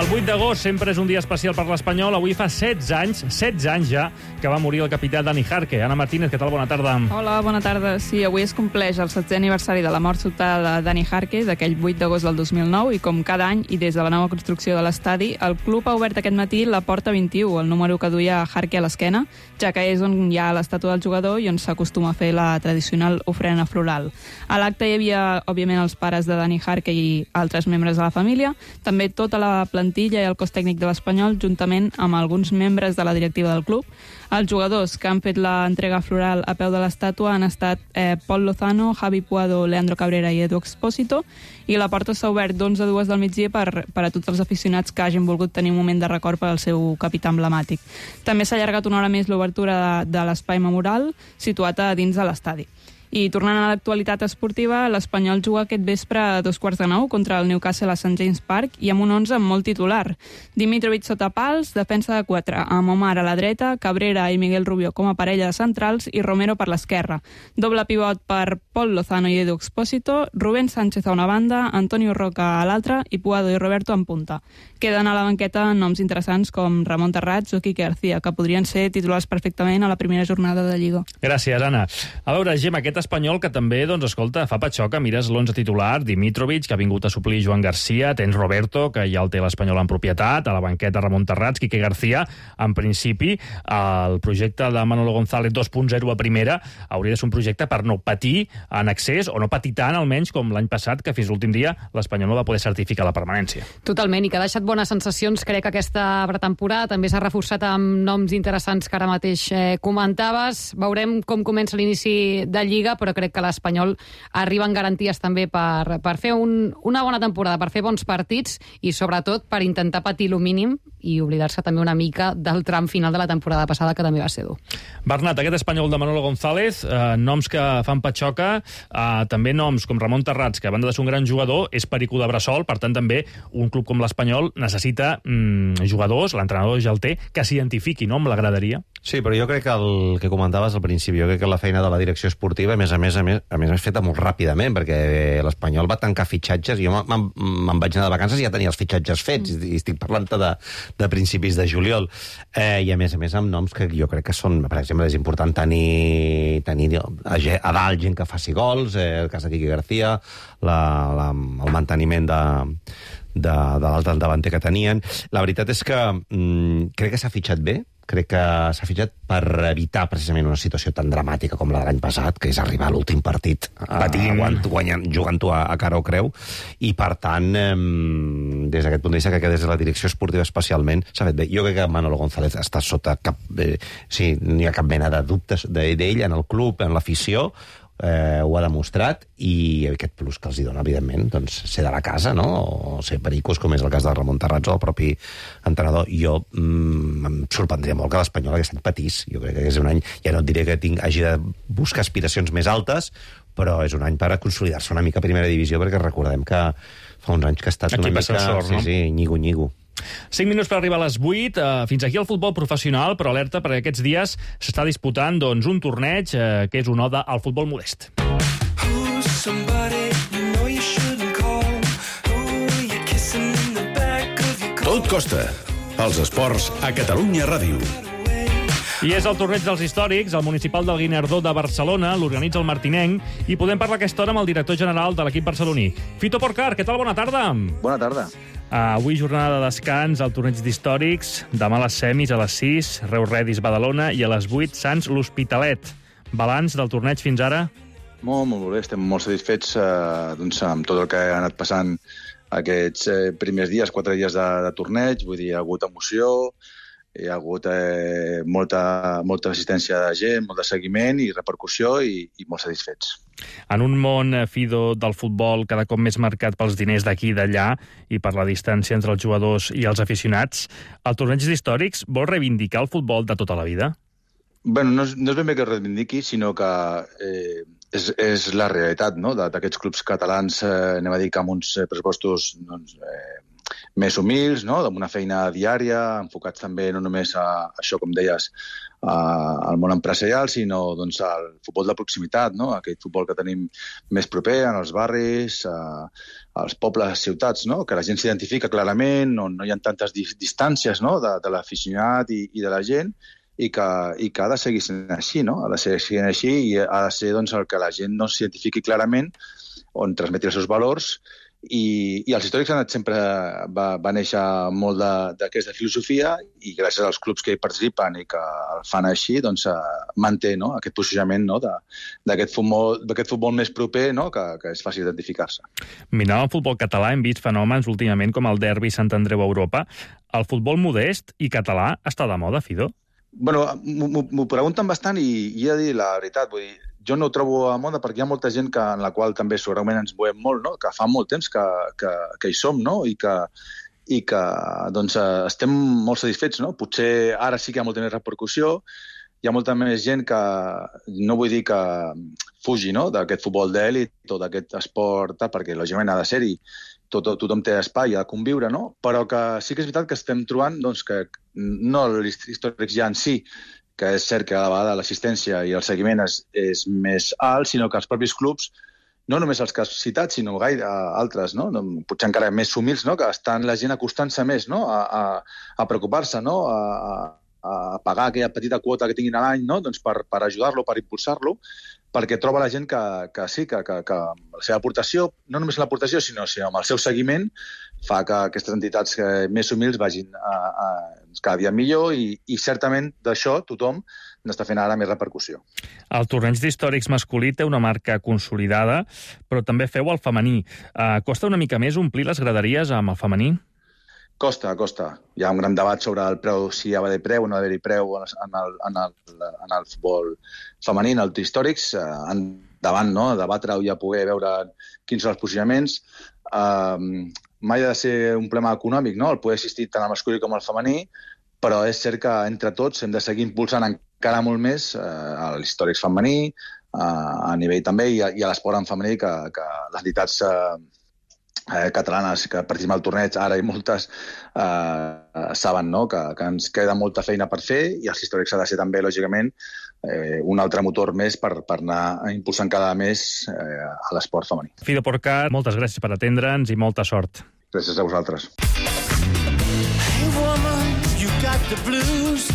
El vuit d'agost sempre és un dia especial per l'Espanyol. Avui fa setze anys, setze anys ja, que va morir el capità Dani Jarque. Ana Martínez, què tal? Bona tarda. Hola, bona tarda. Sí, avui es compleix el setzè aniversari de la mort sobtada de Dani Jarque, d'aquell vuit d'agost del dos mil nou, i com cada any, i des de la nova construcció de l'estadi, el club ha obert aquest matí la porta vint-i-u, el número que duia Jarque a l'esquena, ja que és on hi ha l'estàtua del jugador i on s'acostuma a fer la tradicional ofrena floral. A l'acte hi havia, òbviament, els pares de Dani Jarque i altres membres de la família, també tota la plantilla i el cos tècnic de l'Espanyol, juntament amb alguns membres de la directiva del club. Els jugadors que han fet l'entrega floral a peu de l'estàtua han estat eh, Pol Lozano, Javi Puado, Leandro Cabrera i Edu Expósito, i la porta s'ha obert d'onze a dues del migdia per, per a tots els aficionats que hagin volgut tenir un moment de record per al seu capità emblemàtic. També s'ha allargat una hora més l'obertura de, de l'espai memorial situat a dins de l'estadi. I tornant a l'actualitat esportiva, l'Espanyol juga aquest vespre a dos quarts de nou contra el Newcastle a Saint James Park i amb un onze molt titular. Dimitrovic sota pals, defensa de quatre, amb Omar a la dreta, Cabrera i Miguel Rubio com a parella de centrals i Romero per l'esquerra. Doble pivot per Pol Lozano i Edu Expósito, Rubén Sánchez a una banda, Antonio Roca a l'altra i Puado i Roberto en punta. Queden a la banqueta noms interessants com Ramon Terrats o Quique García, que podrien ser titulars perfectament a la primera jornada de Lliga. Gràcies, Anna. A veure, Gemma, aquest espanyol que també, doncs, escolta, fa patxoca. Mires l'onze titular, Dimitrovic, que ha vingut a suplir Joan Garcia, tens Roberto, que ja el té l'Espanyol en propietat, a la banqueta Ramon Terrats, Quique García. En principi, el projecte de Manolo González dos punt zero a primera hauria de ser un projecte per no patir en excés, o no patir tant, almenys, com l'any passat, que fins l'últim dia l'Espanyol no va poder certificar la permanència. Totalment, i que ha deixat bones sensacions, crec, aquesta pretemporada. També s'ha reforçat amb noms interessants que ara mateix eh, comentaves. Veurem com comença l'inici de Lliga, però crec que l'Espanyol arriba en garanties també per, per fer un, una bona temporada, per fer bons partits i, sobretot, per intentar patir lo mínim i oblidar-se també una mica del tram final de la temporada passada, que també va ser dur. Bernat, aquest espanyol de Manolo González, eh, noms que fan patxoca, eh, també noms com Ramon Terrats, que a banda de ser un gran jugador, és perico de bressol, per tant també un club com l'Espanyol necessita mm, jugadors, l'entrenador ja el té, que s'identifiqui, no?, amb la graderia. Sí, però jo crec que el que comentaves al principi, jo crec que la feina de la direcció esportiva, a més a més, a més, a més, és feta molt ràpidament, perquè l'Espanyol va tancar fitxatges, jo me'n vaig anar de vacances i ja tenia els fitxatges fets, i estic parlant de, de principis de juliol. Eh, I a més a més amb noms que jo crec que són, per exemple, és important tenir, tenir a, a dalt gent que faci gols, eh, el cas de Quique García, la, la, el manteniment de, de, de l'altre davanter que tenien. La veritat és que mm, crec que s'ha fitxat bé, crec que s'ha fitxat per evitar precisament una situació tan dramàtica com la de l'any passat, que és arribar a l'últim partit patint, guanyant, jugant-ho a, a cara o creu, i per tant, eh, des d'aquest punt de vista, crec que des de la direcció esportiva especialment s'ha fet bé. Jo crec que Manolo González està sota cap... Eh, sí, no hi ha cap mena de dubtes d'ell en el club, en l'afició, eh, ho ha demostrat, i aquest plus que els hi dona, evidentment, doncs, ser de la casa, no?, o ser pericos, com és el cas de Ramon Terrats o el propi entrenador. Jo mm, em sorprendria molt que l'Espanyol aquest any patís. Jo crec que és un any, ja no et diré que tinc, hagi de buscar aspiracions més altes, però és un any per a consolidar-se una mica a primera divisió, perquè recordem que fa uns anys que ha estat aquí una mica... Sort, sí, no? sí, nyigo-nyigo. cinc minuts per arribar a les vuit. Uh, fins aquí el futbol professional, però alerta, perquè aquests dies s'està disputant, doncs, un torneig uh, que és una oda al futbol modest. Tot costa. Els esports a Catalunya Ràdio. I és el torneig dels històrics, el municipal del Guinardó de Barcelona, l'organitza el Martinenc, i podem parlar aquesta hora amb el director general de l'equip barceloní. Fito Porcar, què tal? Bona tarda. Bona tarda. Uh, avui jornada de descans al torneig d'històrics, demà les semis a les sis, Reus Redis Badalona, i a les vuit Sants l'Hospitalet. Balanç del torneig fins ara? Molt, molt bé, estem molt satisfets eh, doncs, amb tot el que ha anat passant aquests eh, primers dies, quatre dies de, de torneig. Vull dir, hi ha hagut emoció, hi ha hagut eh, molta, molta assistència de gent, molt de seguiment i repercussió, i, i molt satisfets. En un món, Fido, del futbol cada cop més marcat pels diners d'aquí i d'allà i per la distància entre els jugadors i els aficionats, el torneig d'històrics vol reivindicar el futbol de tota la vida? Bé, no, és, no és ben bé que es reivindiqui, sinó que eh, és, és la realitat, no?, d'aquests clubs catalans, eh, anem a dir que amb uns pressupostos doncs, eh, més humils, no?, amb una feina diària, enfocats també no només a això, com deies, a, al món empresarial, sinó doncs, al futbol de proximitat, no?, aquest futbol que tenim més proper en els barris, a, als pobles, ciutats, no?, que la gent s'identifica clarament, on no hi ha tantes distàncies, no?, de, de l'aficionat i, i de la gent, i que, i que ha de seguir sent així, no?, ha de seguir sent així, i ha de ser doncs, el que la gent no s'identifiqui clarament, on transmeti els seus valors. I, i els històrics han anat sempre, va, va néixer molt d'aquesta filosofia, i gràcies als clubs que hi participen i que el fan així, doncs manté, no?, aquest posicionament, no?, d'aquest futbol, futbol més proper, no?, que, que és fàcil identificar-se. Mirant el futbol català hem vist fenòmens últimament com el derbi Sant Andreu a Europa. El futbol modest i català està de moda, Fido? Bueno, m'ho pregunten bastant i, i he de dir la veritat, vull dir, jo no ho trobo a moda perquè hi ha molta gent que, en la qual també segurament ens movem molt, no?, que fa molt temps que, que, que hi som, no?, i que, i que doncs, estem molt satisfets, no? Potser ara sí que hi ha molta més repercussió, hi ha molta més gent que, no vull dir que fugi, no?, d'aquest futbol d'èlit o d'aquest esport, perquè lògicament ha de ser-hi, tot, tothom té espai a conviure, no?, però que sí que és veritat que estem trobant doncs, que no l'històrics ja en si, que és cert que a la vegada l'assistència i el seguiment és, és més alt, sinó que els propis clubs, no només els que has citat, sinó gaire altres, no?, potser encara més humils, no?, que estan la gent acostant-se més, no?, a, a, a preocupar-se, no?, a, a pagar aquella petita quota que tinguin a l'any, no?, doncs per, per ajudar-lo, per impulsar-lo, perquè troba la gent que, que sí, que, que, que la seva aportació, no només l'aportació, sinó, sinó amb el seu seguiment, fa que aquestes entitats més humils vagin a, a, cada dia millor i, i certament d'això tothom n'està fent ara més repercussió. El torneig d'històrics masculí té una marca consolidada, però també feu el femení. Uh, costa una mica més omplir les graderies amb el femení? Costa, costa. Hi ha un gran debat sobre el preu, si hi ha d'haver preu o no d'haver-hi preu en el, en, el, en el futbol femení, en el històrics, eh, endavant, no?, a debatre o ja poder veure quins són els posicionaments. Eh, mai ha de ser un problema econòmic, no?, el poder assistir tant al masculí com al femení, però és cert que entre tots hem de seguir impulsant encara molt més eh, l'històrics femení, eh, a nivell també, i a, i a l'esport en femení, que, que les entitats eh, Eh, catalanes que participem al torneig, ara i moltes, eh, saben, no?, que, que ens queda molta feina per fer i els històrics ha de ser també, lògicament, eh, un altre motor més per, per anar impulsant cada més eh, a l'esport femení. Fido Porcar, moltes gràcies per atendre'ns i molta sort. Gràcies a vosaltres. Hey woman, you got the blues.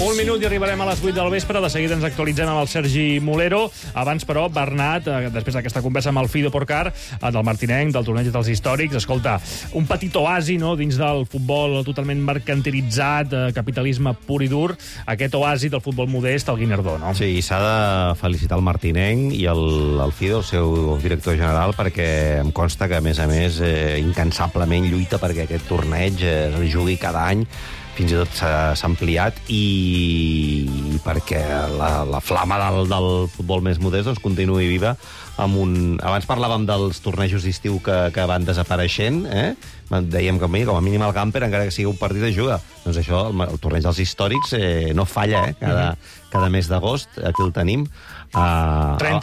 Un minut i arribarem a les vuit del vespre. De seguida ens actualitzem amb el Sergi Molero. Abans, però, Bernat, després d'aquesta conversa amb el Fido Porcar, del Martinenc, del torneig dels històrics, escolta, un petit oasi, no?, dins del futbol totalment mercantilitzat, capitalisme pur i dur, aquest oasi del futbol modest, el Guinardó, no? Sí, s'ha de felicitar el Martinenc i el, el Fido, el seu director general, perquè em consta que, a més a més, eh, incansablement lluita perquè aquest torneig eh, es jugui cada any, fins i tot s'ha ampliat, i, i perquè la, la flama del, del futbol més modest doncs, continuï viva. Amb un... Abans parlàvem dels tornejos d'estiu que, que van desapareixent, eh? Dèiem que com a mínim el camper, encara que sigui un partit de juga. Doncs això, el, el torneig dels històrics eh, no falla, eh? Cada, cada mes d'agost, aquí el tenim. Uh, trenta